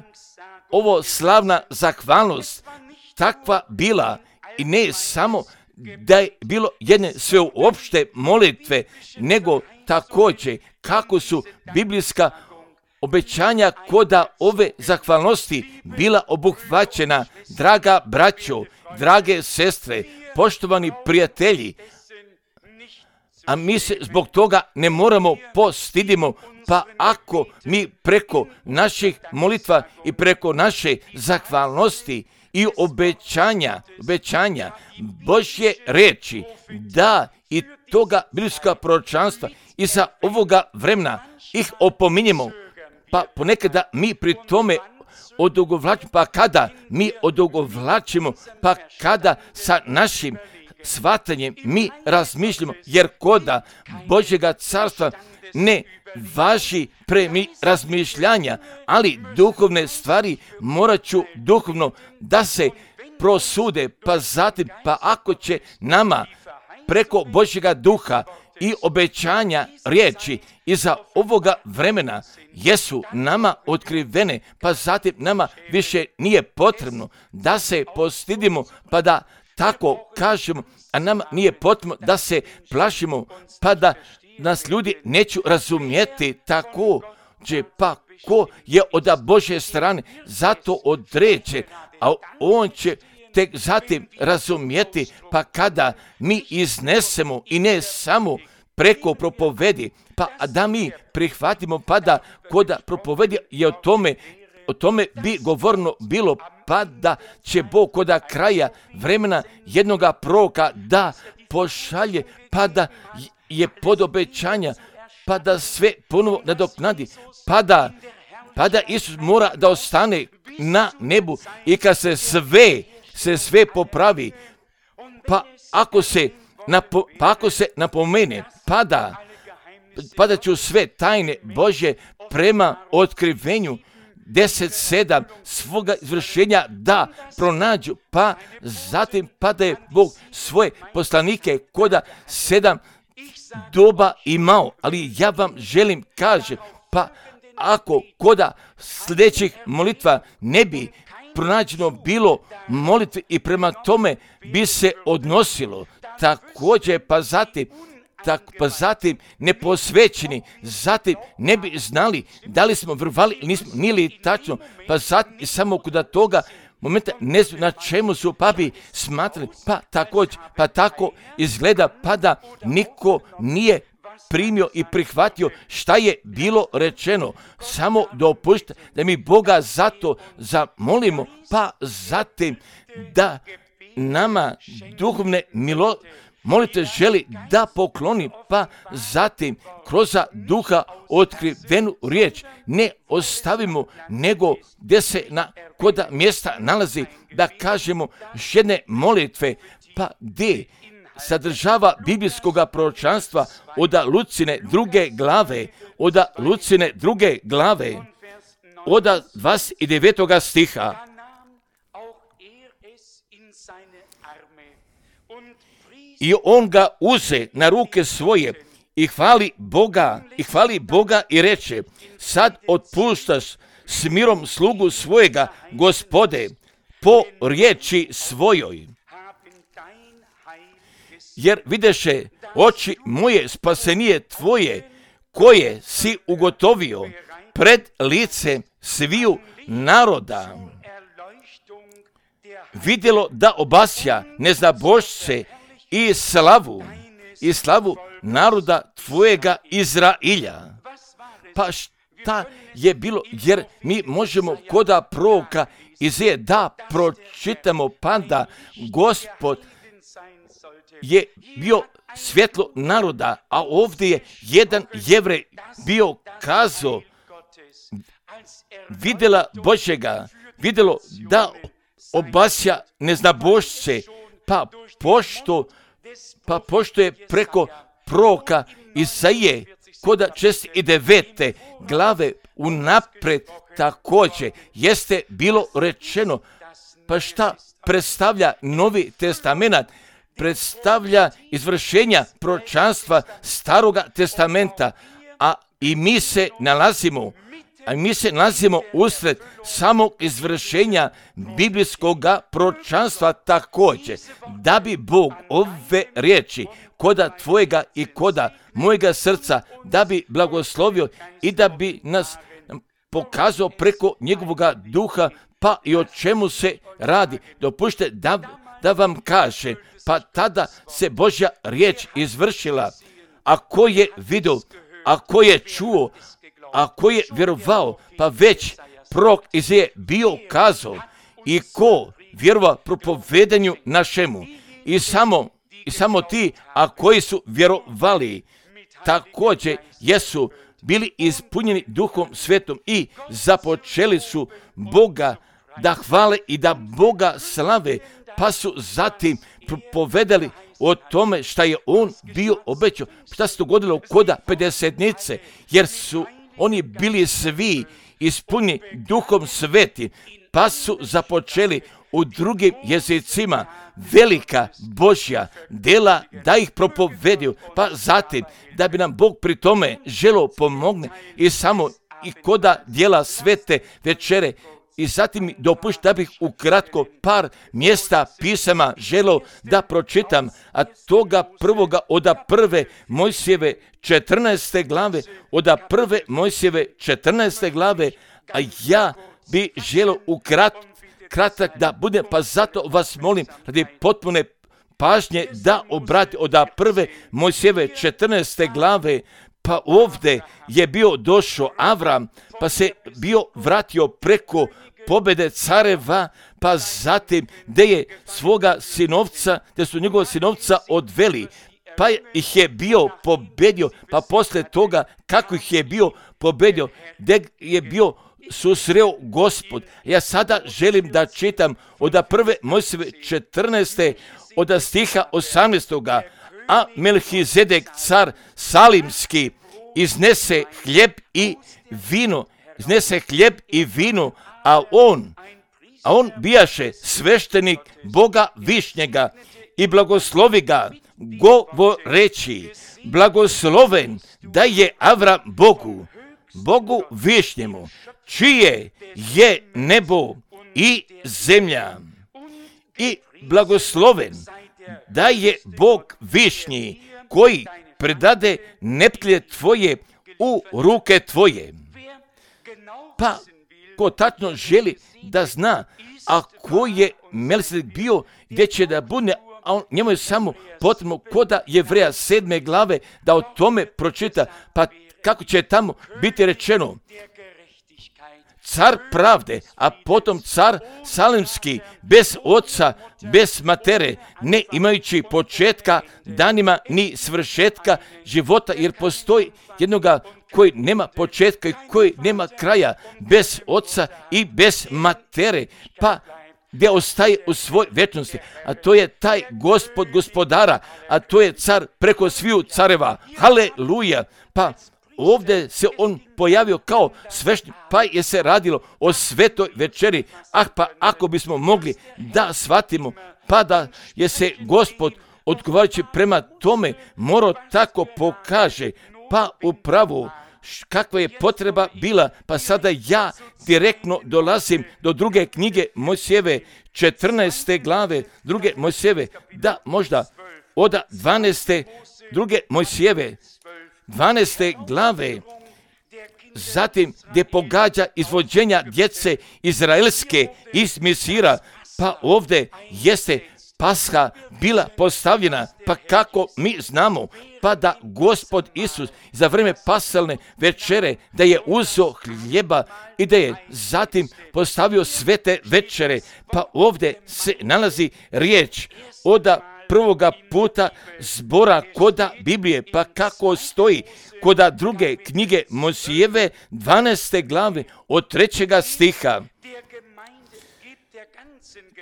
ovo slavna zahvalnost takva bila i ne samo da je bilo jedne sveopšte molitve, nego također kako su biblijska obećanja koda ove zahvalnosti bila obuhvaćena, draga braćo, drage sestre, poštovani prijatelji, a mi se zbog toga ne moramo postidimo, pa ako mi preko naših molitva i preko naše zahvalnosti i obećanja Božje reči, da i toga biblijska proročanstva i za ovoga vremena ih opominjemo, pa ponekada mi pri tome odugovlačimo, pa kada mi odugovlačimo, pa kada sa našim shvatanjem mi razmišljamo, jer koda Božjega carstva ne važi razmišljanja, ali duhovne stvari morat ću duhovno da se prosude, pa zatim, pa ako će nama preko Božjega duha i obećanja riječi iza ovoga vremena jesu nama otkrivene, pa zatim nama više nije potrebno da se postidimo, pa da tako kažemo, a nama nije potrebno da se plašimo, pa da nas ljudi neću razumjeti također, pa ko je od Božje strane zato određen, a on će tek zatim razumjeti, pa kada mi iznesemo i ne samo preko propovedi, pa da mi prihvatimo, pa da koda propovedi je o tome bi govorno bilo, pa da će Bog koda kraja vremena jednoga proroka da pošalje, pa da je pod obećanja, pa da sve ponovo nadoknadi, pa da Isus mora da ostane na nebu i kad se sve popravi, pa ako se napomene, pa da ću sve tajne Božje prema otkrivenju 10:7 svoga izvršenja da pronađu, pa zatim pa da je Bog svoje poslanike koda 7 doba imao, ali ja vam želim kažem, pa ako koda sljedećih molitva ne bi pronađeno bilo molitve i prema tome bi se odnosilo također, pa zatim neposvećeni, zatim ne bi znali da li smo vrvali ili nismo, nije li tačno, pa zatim i samo kod toga momenta ne znam na čemu su pa bi smatrali, pa također, pa tako izgleda, pa da niko nije primio i prihvatio šta je bilo rečeno. Samo dopušta da mi Boga zato zamolimo, pa zatim da nama duhovne molite želi da pokloni, pa zatim kroz duha otkrivenu riječ ne ostavimo, nego gdje se koda mjesta nalazi da kažemo jedne molitve, pa gdje sadržava biblijskog proročanstva od Lucine druge glave, od 29. stiha. I on ga uze na ruke svoje i hvali Boga i reče, sad otpuštaš s mirom slugu svojega, Gospode, po riječi svojoj. Jer videše oči moje spasenije tvoje, koje si ugotovio pred lice sviju naroda. Vidjelo da obasja neznabošce i slavu naroda tvojega Izrailja. Pa šta je bilo, jer mi možemo koda proroka Izaije da pročitamo, pa da Gospod je bio svjetlo naroda, a ovdje je jedan Jevrej bio kazao, vidjelo da obasja neznabošce, pa pošto je preko proroka Izaije koda 49. glave unaprijed također jeste bilo rečeno, pa šta predstavlja Novi testament? Predstavlja izvršenja proročanstva Staroga testamenta, a mi se nalazimo usred samog izvršenja biblijskog proročanstva također, da bi Bog ove riječi koda tvojega i koda mojega srca da bi blagoslovio i da bi nas pokazao preko njegovoga duha, pa i o čemu se radi. Dopustite da vam kaže, pa tada se Božja riječ izvršila. A ko je vidio, a ko je čuo, a ko je vjerovao, pa već prorok Izaja bio kazao, i ko vjerova propovedanju našemu. I samo ti, a koji su vjerovali, također jesu bili ispunjeni Duhom Svetom i započeli su Boga da hvale i da Boga slave, pa su zatim propovedali o tome šta je on bio obećao. Šta se dogodilo koda pedesetnice, jer su oni bili svi ispunjeni Duhom Svetim, pa su započeli u drugim jezicima velika Božja dela da ih propovedio, pa zatim da bi nam Bog pri tome želio pomogne i koda djela svete večere. I zatim mi dopušta da bih ukratko par mjesta pisama želio da pročitam, a toga prvoga od prve Mojsijeve 14. glave, od prve Mojsijeve 14. glave, a ja bi želio kratak da bude, pa zato vas molim radi potpune pažnje da obrati od prve Mojsijeve 14. glave. Pa ovdje je bio došao Avram, pa se bio vratio preko pobjede careva, pa zatim gdje su njegova sinovca odveli, pa ih je bio pobedio, pa poslije toga kako ih je bio pobedio, gdje je bio susreo Gospod. Ja sada želim da čitam od prve Mojsijeve 14. od stiha 18. A Melhizedek car Salimski iznese hljeb i vino, a on bijaše sveštenik Boga Višnjega i blagoslovi ga, govoreći, blagosloven da je Avram Bogu Višnjemu, čije je nebo i zemlja, i blagosloven da je Bog Višnji, koji predade neptlje tvoje u ruke tvoje. Pa ko tačno želi da zna, a ko je Melhizedek bio, gdje će da bude, a njemu je samo potrebno koda Jevreja 7. glave da o tome pročita, pa kako će tamo biti rečeno, car pravde, a potom car Salimski, bez oca, bez matere, ne imajući početka danima ni svršetka života, jer postoji jednoga koji nema početka i koji nema kraja, bez oca i bez matere, pa gdje ostaje u svoj vječnosti, a to je taj Gospod gospodara, a to je car preko sviju careva. Haleluja! Pa ovdje se on pojavio kao sveštenik, pa je se radilo o svetoj večeri. Pa ako bismo mogli da shvatimo, pa da je se Gospod odgovarajući prema tome morao tako pokaže, pa upravo kakva je potreba bila, pa sada ja direktno dolazim do druge knjige Mojsijeve 14. glave, druge Mojsijeve, da možda od 12. druge Mojsijeve 12. glave, zatim gdje pogađa izvođenja djece izraelske iz Misira, pa ovdje jeste Pasha bila postavljena, pa kako mi znamo, pa da Gospod Isus za vrijeme pasalne večere da je uzeo hljeba i da je zatim postavio svete večere, pa ovdje se nalazi riječ od prvoga puta zbora koda Biblije, pa kako stoji koda druge knjige Mojsijeve 12. glave od 3. stiha.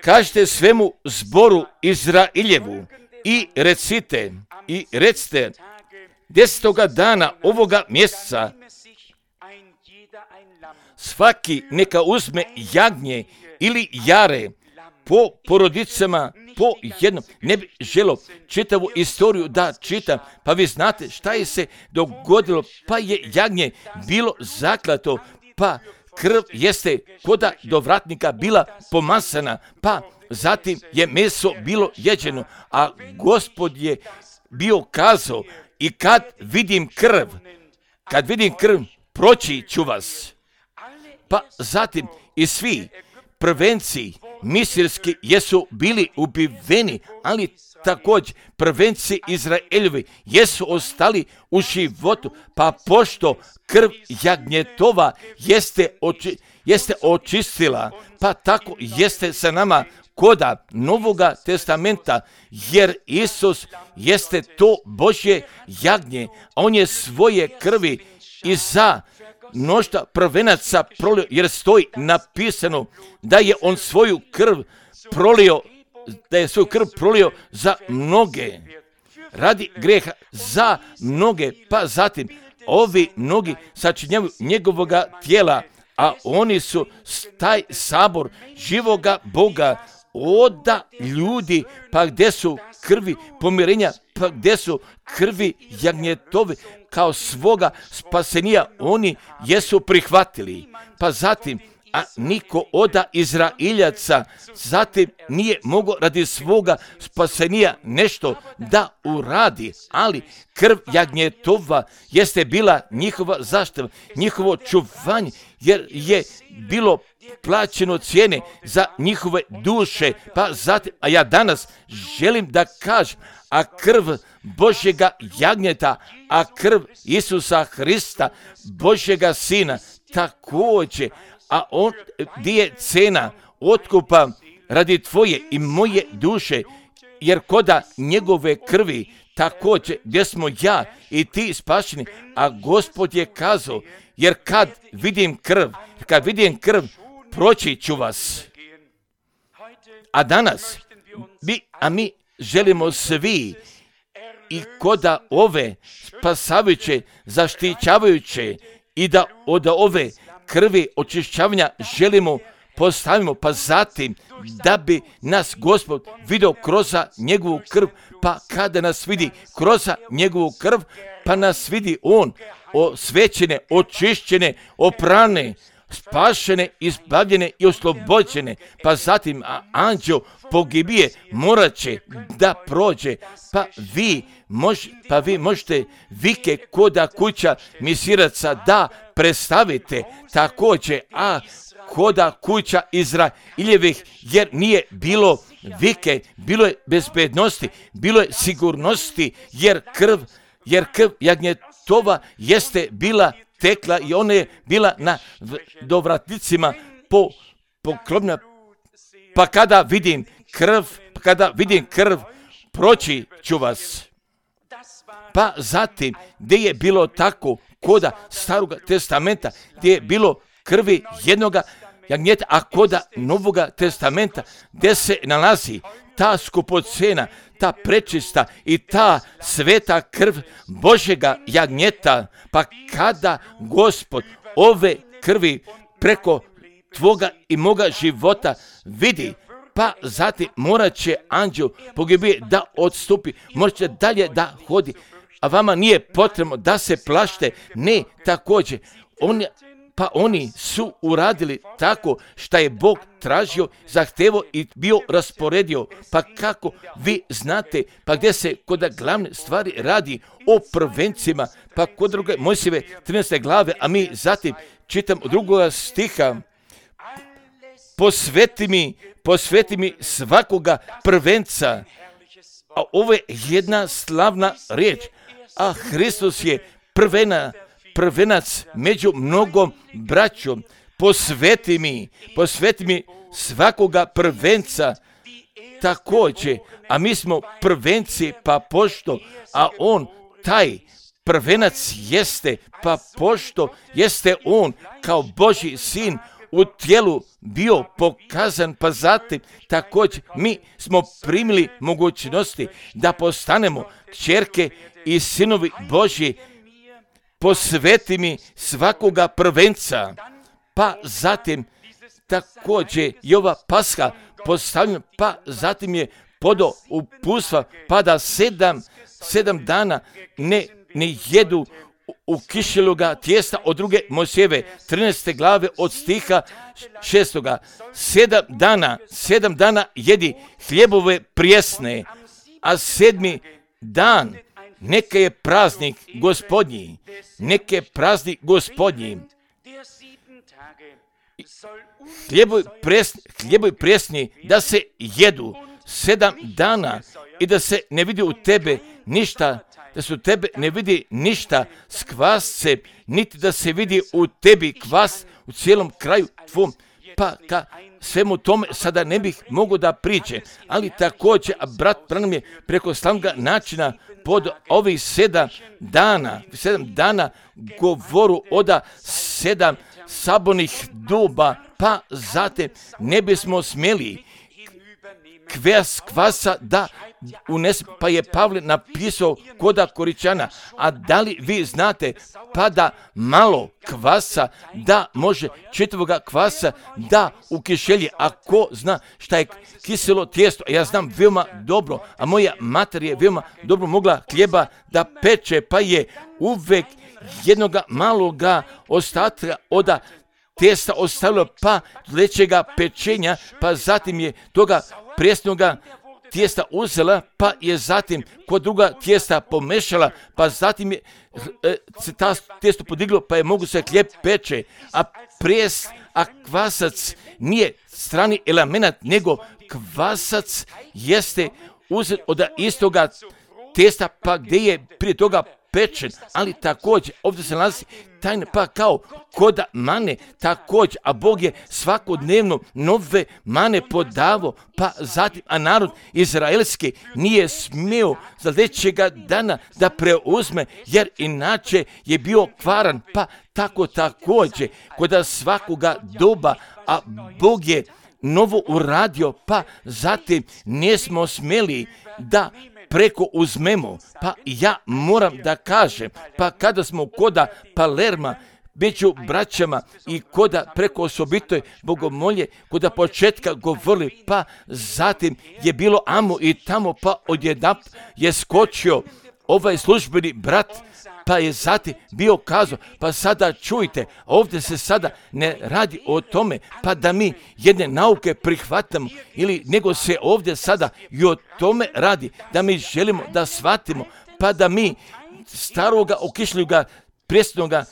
Kažite svemu zboru Izrailjevu i recite 10. dana ovoga mjeseca svaki neka uzme jagnje ili jare po porodicama, po jednom. Ne bi želio čitavu istoriju da čitam, pa vi znate šta je se dogodilo, pa je jagnje bilo zaklato, pa krv jeste koda do vratnika bila pomasana, pa zatim je meso bilo jeđeno, a Gospod je bio kazao, i kad vidim krv, proći ću vas. pa zatim i svi prvenci misirski jesu bili ubiveni, ali također prvenci Izraeljevi jesu ostali u životu, pa pošto krv jagnjetova jeste očistila, pa tako jeste sa nama koda Novoga testamenta, jer Isus jeste to Božje jagnje, a on je svoje krvi i za mnoštva prvenaca prolio, jer stoji napisano da je on svoju krv prolio za mnoge, radi grijeha za mnoge, pa zatim ovi mnogi sačinjavaju njegovoga tijela, a oni su taj sabor živoga Boga, oda ljudi, pa gdje su krvi pomirenja, pa gdje su krvi jagnjetovi, kao svoga spasenija oni jesu prihvatili. Pa zatim, a niko oda Izraeljaca zatim nije mogao radi svoga spasenija nešto da uradi, ali krv jagnjetova jeste bila njihova zaštita, njihovo čuvanje, jer je bilo plaćeno cijene za njihove duše. Pa zatim, a ja danas želim da kažem, a krv Božjega jagnjeta, a krv Isusa Hrista, Božjega Sina, također, a on gdje je cena otkupa radi tvoje i moje duše, jer koda njegove krvi, također gdje smo ja i ti spašeni, a Gospod je kazao, jer kad vidim krv, proći ću vas. A danas, mi želimo svi i koda ove spasavajuće, zaštićavajuće i da od ove krvi očišćavanja želimo postavimo, pa zatim da bi nas Gospod vidio kroz njegovu krv, pa kada nas vidi kroz njegovu krv, pa nas vidi on osvećene, očišćene, oprane, spašene, izbavljene i oslobođene, pa zatim anđeo pogibije morat će da prođe, pa vi možete vike koda kuća misiraca da predstavite također, a koda kuća Izraeljevih, jer nije bilo vike, bilo je bezbednosti, bilo je sigurnosti, jer krv jagnjetova jeste bila tekla i ona je bila na dovratnicima poklopna. Pa kada vidim krv, proći ću vas. Pa zatim, gdje je bilo tako koda Staroga testamenta, gdje je bilo krvi jednoga jagnjeta, a koda Novoga testamenta, gdje se nalazi ta skupocena, ta prečista i ta sveta krv Božjega jagnjeta, pa kada Gospod ove krvi preko tvoga i moga života vidi, pa zatim morat će anđel pogibije da odstupi, morat će dalje da hodi, a vama nije potrebno da se plašte, ne, također, oni su uradili tako što je Bog tražio, zahtevao i bio rasporedio. Pa kako vi znate, pa gdje se kod glavne stvari radi o prvencima, pa kod druge Mojsijeve 13. glave, a mi zatim čitam od 2. stiha, posveti mi svakoga prvenca. A ovo je jedna slavna riječ, a Hristos je prvenac među mnogom braćom. Posveti mi svakoga prvenca također, a mi smo prvenci, pa pošto, a on taj prvenac jeste, pa pošto jeste on kao Božji sin u tijelu bio pokazan, pa zatim također mi smo primili mogućnosti da postanemo kćerke i sinovi Božji. Posveti mi svakoga prvenca, pa zatim također i ova Pasha postavljena, pa zatim je podao uputstva, pa da 7 dana ne jedu u kišeloga tijesta od 2. Mojsijeve 13. glave od stiha 6. 7 dana jedi hljebove prijesne, a 7. dan neka je praznik Gospodnji. Hljebovi presni da se jedu 7 dana i da se ne vidi u tebe ništa, da se u tebe ne vidi ništa s kvascem, niti da se vidi u tebi kvas u cijelom kraju tvom. Pa ka svemu tome sada ne bih mogao da priče, ali također brat Branham je preko slavnoga načina pod ovih 7 dana govoru oda 7 sabornih duba, pa zatim ne bismo smjeli kvasa da unese, pa je Pavle napisao koda Koričana, a da li vi znate pa da malo kvasa da može čitavoga kvasa da u kišelji, a ko zna šta je kiselo tijesto, ja znam veoma dobro, a moja mater je veoma dobro mogla hljeba da peče, pa je uvek jednoga maloga ostatka oda testa ostavilo pa lećega pečenja, pa zatim je toga presnoga tijesta uzela, pa je zatim kod druga tijesta pomešala, pa zatim je se ta tijesto podiglo, pa je mogu se hljeb peče, a kvasac nije strani element, nego kvasac jeste uzet od istoga testa, pa gdje je prije toga pečen, ali također ovdje se nalazi tajne, pa kao koda mane također, a Bog je svakodnevno nove mane podavo, pa zatim, a narod izraelski nije smio za sljedećega dana da preuzme, jer inače je bio kvaran, pa tako također koda svakoga doba, a Bog je novo uradio, pa zatim nismo smjeli da preko uzmemo, pa ja moram da kažem, pa kada smo koda Palerma, među braćama i koda preko osobitoj bogomolje, koda početka govorili, pa zatim je bilo amo i tamo, pa odjednap je skočio ovaj službeni brat, pa je zatim bio kazao, pa sada čujte, ovdje se sada ne radi o tome, pa da mi jedne nauke prihvatamo, ili nego se ovdje sada i o tome radi, da mi želimo da shvatimo, pa da mi staroga okišljuga presnoga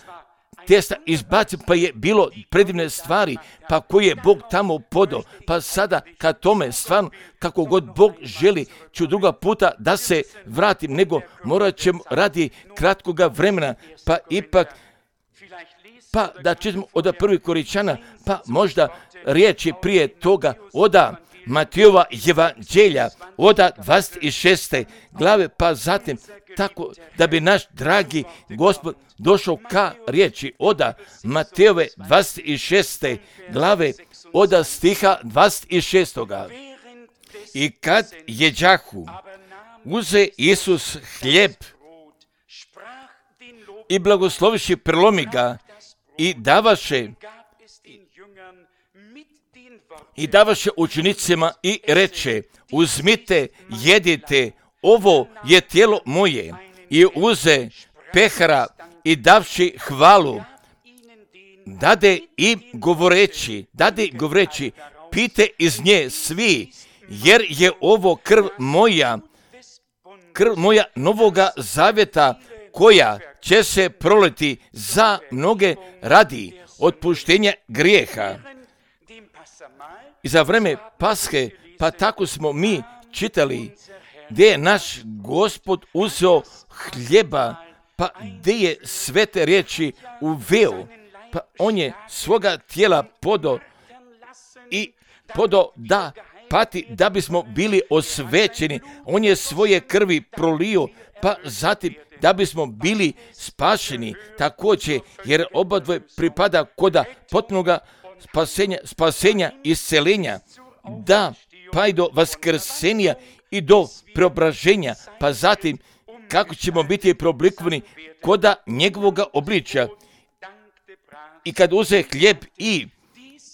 testa izbacimo, pa je bilo predivne stvari, pa koje je Bog tamo podao, pa sada kad tome stvarno, kako god Bog želi, ću druga puta da se vratim, nego morat ćemo radi kratkoga vremena, pa ipak, pa da čitamo od prvih Koričana, pa možda riječi prije toga oda Matijova evanđelja, oda 26. glave, pa zatim tako da bi naš dragi Gospod došao ka riječi oda Matejove 26. glave, oda stiha 26. I kad jeđahu, uze Isus hljeb i blagosloviši prelomi ga i davaše učenicima i reče, uzmite, jedite, ovo je tijelo moje. I uze pehara i davši hvalu, dade govoreći, pite iz nje svi, jer je ovo krv moja novoga zavjeta, koja će se proliti za mnoge radi otpuštenja grijeha. I za vreme Paske, pa tako smo mi čitali, gdje je naš Gospod uzeo hljeba, pa gdje je sve te riječi uveo, pa on je svoga tijela podao da pati da bismo bili osvećeni, on je svoje krvi prolio, pa zatim da bismo bili spašeni također, jer obadvoje pripada koda potpunoga spasenja i isceljenja, da pa i do vaskrsenja i do preobraženja, pa zatim kako ćemo biti preoblikovani koda njegovoga obličja. I kad uze hljeb i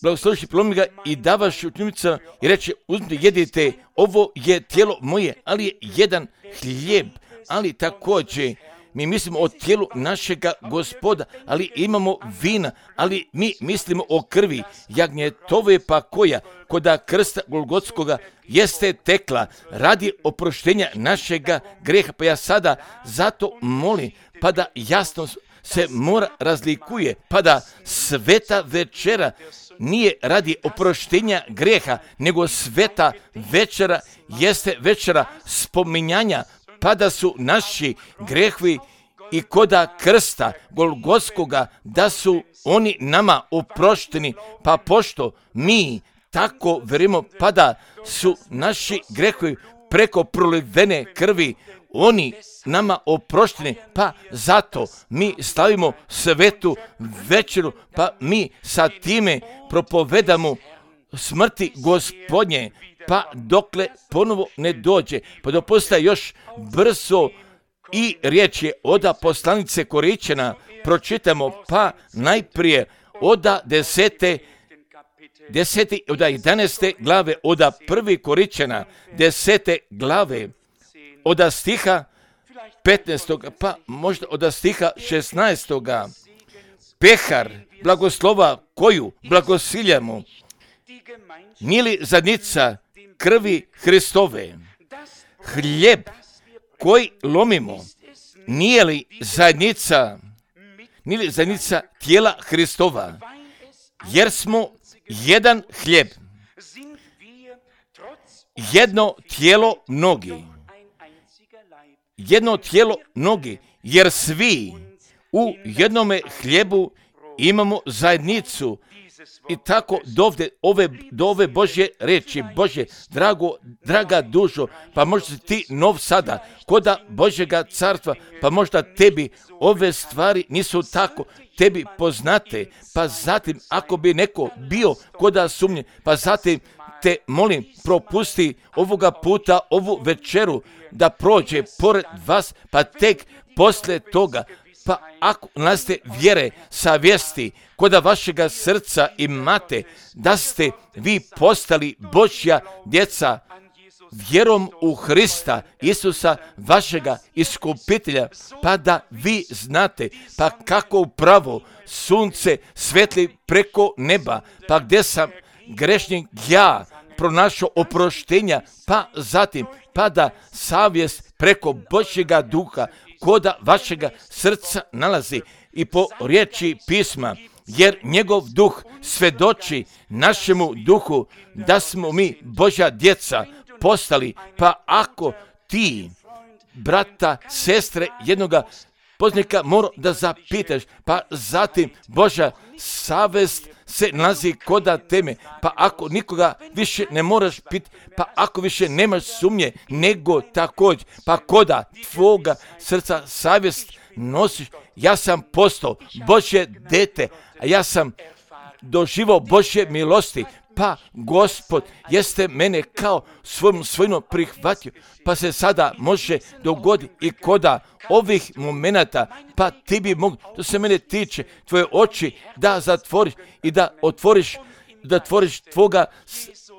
blagosloviši prelomi ga i davaš učenicima i reče, uzmite, jedite, ovo je tijelo moje, ali je jedan hljeb, ali također mi mislimo o tijelu našega Gospoda, ali imamo vina, ali mi mislimo o krvi jagnjetove, pa koja koda krsta Golgotskoga jeste tekla radi oproštenja našega greha. Pa ja sada zato molim, pa da jasno se mora razlikuje, pa da sveta večera nije radi oproštenja grijeha, nego sveta večera jeste večera spominjanja, pa da su naši grijehovi i koda krsta Golgotskoga, da su oni nama oprošteni, pa pošto mi tako verimo, pa da su naši grijehovi preko prolivene krvi, oni nama oprošteni, pa zato mi slavimo svetu večeru, pa mi sa time propovedamo smrti Gospodnje, pa dokle ponovo ne dođe. Pa dopustite još brzo i riječ je oda poslanice Koričana, pročitamo pa najprije oda 11. glave, oda 1. Koričana 10. glave, oda stiha 15. pa možda oda stiha 16. Pehar blagoslova koju blagosiljamo, nije li zadnjica krvi Hristove? Hljeb koji lomimo, nije li zadnjica tijela Hristova? Jer smo jedan hljeb, jedno tijelo mnogi, jer svi u jednome hljebu imamo zajednicu. I tako do ove Božje reči, Bože, draga dušo, pa možda si ti nov sada, koda Božjega carstva, pa možda tebi ove stvari nisu tako, tebi poznate, pa zatim ako bi neko bio koda sumnje, pa zatim te molim, propusti ovoga puta ovu večeru da prođe pored vas, pa tek poslije toga, pa ako naste vjere, savjesti, koda vašega srca imate, da ste vi postali Božja djeca vjerom u Hrista, Isusa, vašega iskupitelja, pa da vi znate, pa kako upravo sunce svetli preko neba, pa gdje sam grešnik ja pronašao oproštenja, pa zatim, pa da savjest preko Božjega duha koda vašega srca nalazi i po riječi pisma, jer njegov duh svedoči našemu duhu da smo mi Božja djeca postali, pa ako ti, brata, sestre, jednoga poznanika mora da zapitaš, pa zatim Božja savjest se nalazi koda teme, pa ako nikoga više ne moraš pitati, pa ako više nemaš sumnje, nego također, pa koda tvoga srca savjest nosiš, ja sam postao Božje dete, a ja sam doživao Božje milosti, pa Gospod jeste mene kao svojno prihvatio, pa se sada može dogoditi i koda ovih momenata, pa ti bi mogli, to se mene tiče, tvoje oči da zatvoriš i da otvoriš tvoga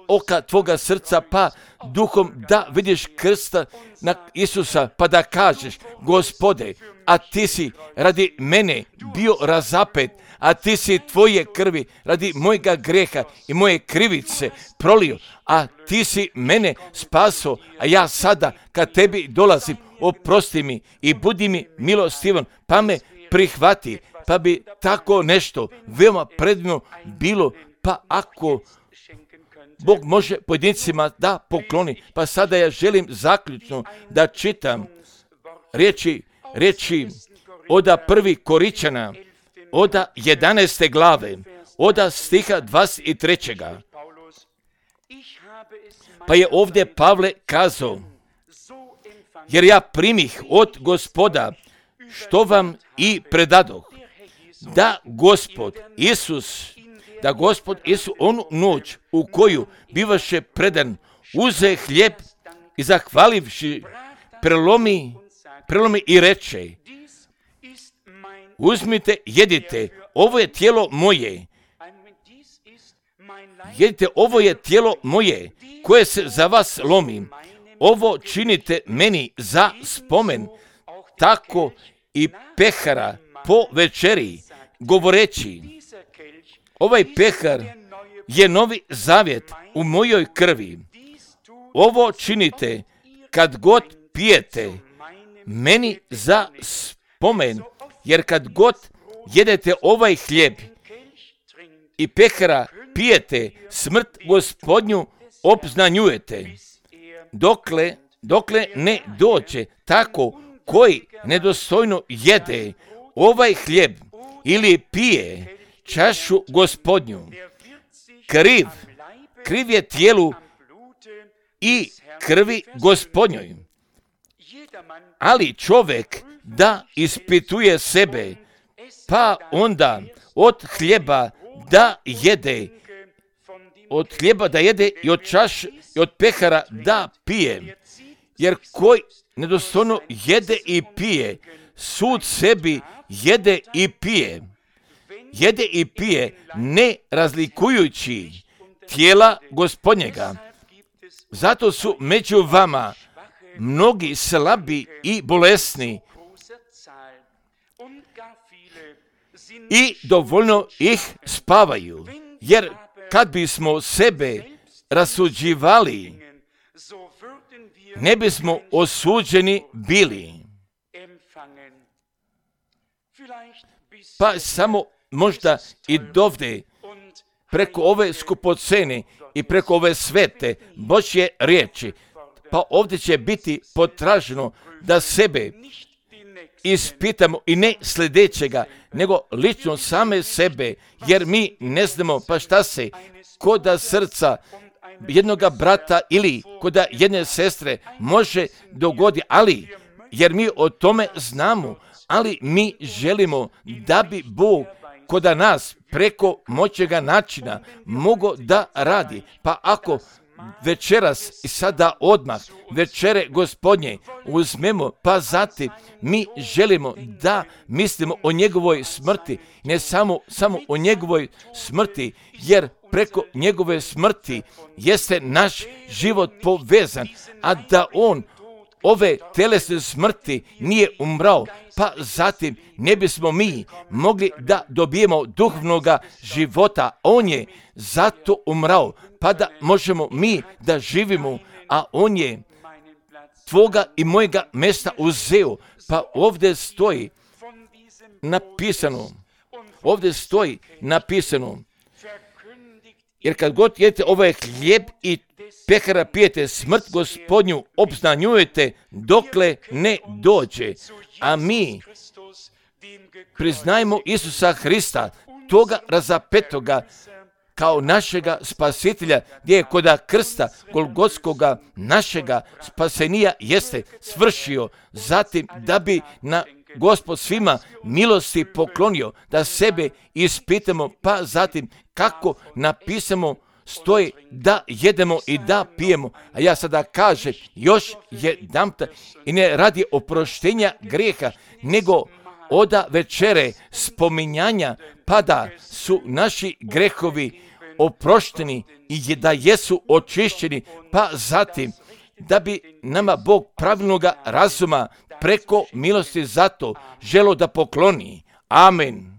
oka, tvoga srca, pa duhom da vidiš krsta na Isusa, pa da kažeš, Gospode, a ti si radi mene bio razapet, a ti si tvoje krvi radi mojega greha i moje krivice prolio, a ti si mene spaso, a ja sada kad tebi dolazim, oprosti mi i budi mi milostivan, pa me prihvati, pa bi tako nešto veoma predivno bilo, pa ako Bog može pojedincima da pokloni. Pa sada ja želim zaključno da čitam riječi oda 1. Koričana, oda 11. glave, oda stiha 23. Pa je ovdje Pavle kazao, jer ja primih od Gospoda što vam i predadoh, da Gospod Isus onu noć u koju bivaše predan, uze hljeb i zahvalivši prelomi i reče, uzmite, jedite, ovo je tijelo moje. Jedite, ovo je tijelo moje, koje se za vas lomim. Ovo činite meni za spomen. Tako i pehara po večeri, govoreći, ovaj pehar je novi zavjet u mojoj krvi. Ovo činite kad god pijete, meni za spomen. jer kad god jedete ovaj hljeb i pehara pijete, smrt Gospodnju obznanjujete, dokle ne dođe tako koji nedostojno jede ovaj hljeb ili pije čašu Gospodnju. Kriv je tijelu i krvi Gospodnjoj. Ali čovjek da ispituje sebe, pa onda od hljeba da jede i od čaše i od pehara da pije. Jer koji nedostojno jede i pije, sud sebi jede i pije, ne razlikujući tijela Gospodnjega. Zato su među vama mnogi slabi i bolesni i dovoljno ih spavaju. Jer kad bismo sebe rasuđivali, ne bismo osuđeni bili. Pa samo možda i dovde preko ove skupocene i preko ove svete Božje riječi, pa ovdje će biti potraženo da sebe ispitamo i ne sljedećega, nego lično same sebe, jer mi ne znamo pa šta se koda srca jednoga brata ili koda jedne sestre može dogoditi, ali jer mi o tome znamo, ali mi želimo da bi Bog koda nas preko moćega načina mogo da radi. Pa ako večeras i sada odmah večere Gospodnje uzmemo, pa zatim mi želimo da mislimo o njegovoj smrti, ne samo o njegovoj smrti, jer preko njegove smrti jeste naš život povezan, a da on ove telesne smrti nije umrao, pa zatim ne bismo mi mogli da dobijemo duhovnoga života. On je zato umrao, pa da možemo mi da živimo, a on je tvoga i mojega mjesta uzeo. Pa ovdje stoji napisano, jer kad god jedete ovaj hljeb i pehara pijete, smrt Gospodnju obznanjujete dokle ne dođe. A mi priznajmo Isusa Hrista, toga razapetoga, kao našega spasitelja, gdje je koda krsta Golgotskoga našega spasenija jeste svršio, zatim da bi na Gospod svima milosti poklonio, da sebe ispitamo, pa zatim kako napisamo stoji da jedemo i da pijemo. A ja sada kažem još jedanput, i ne radi oproštenja grijeha, nego oda večere spominjanja, pa da su naši grehovi oprošteni i da jesu očišćeni, pa zatim da bi nama Bog pravilnoga razuma preko milosti zato želo da pokloni. Amen.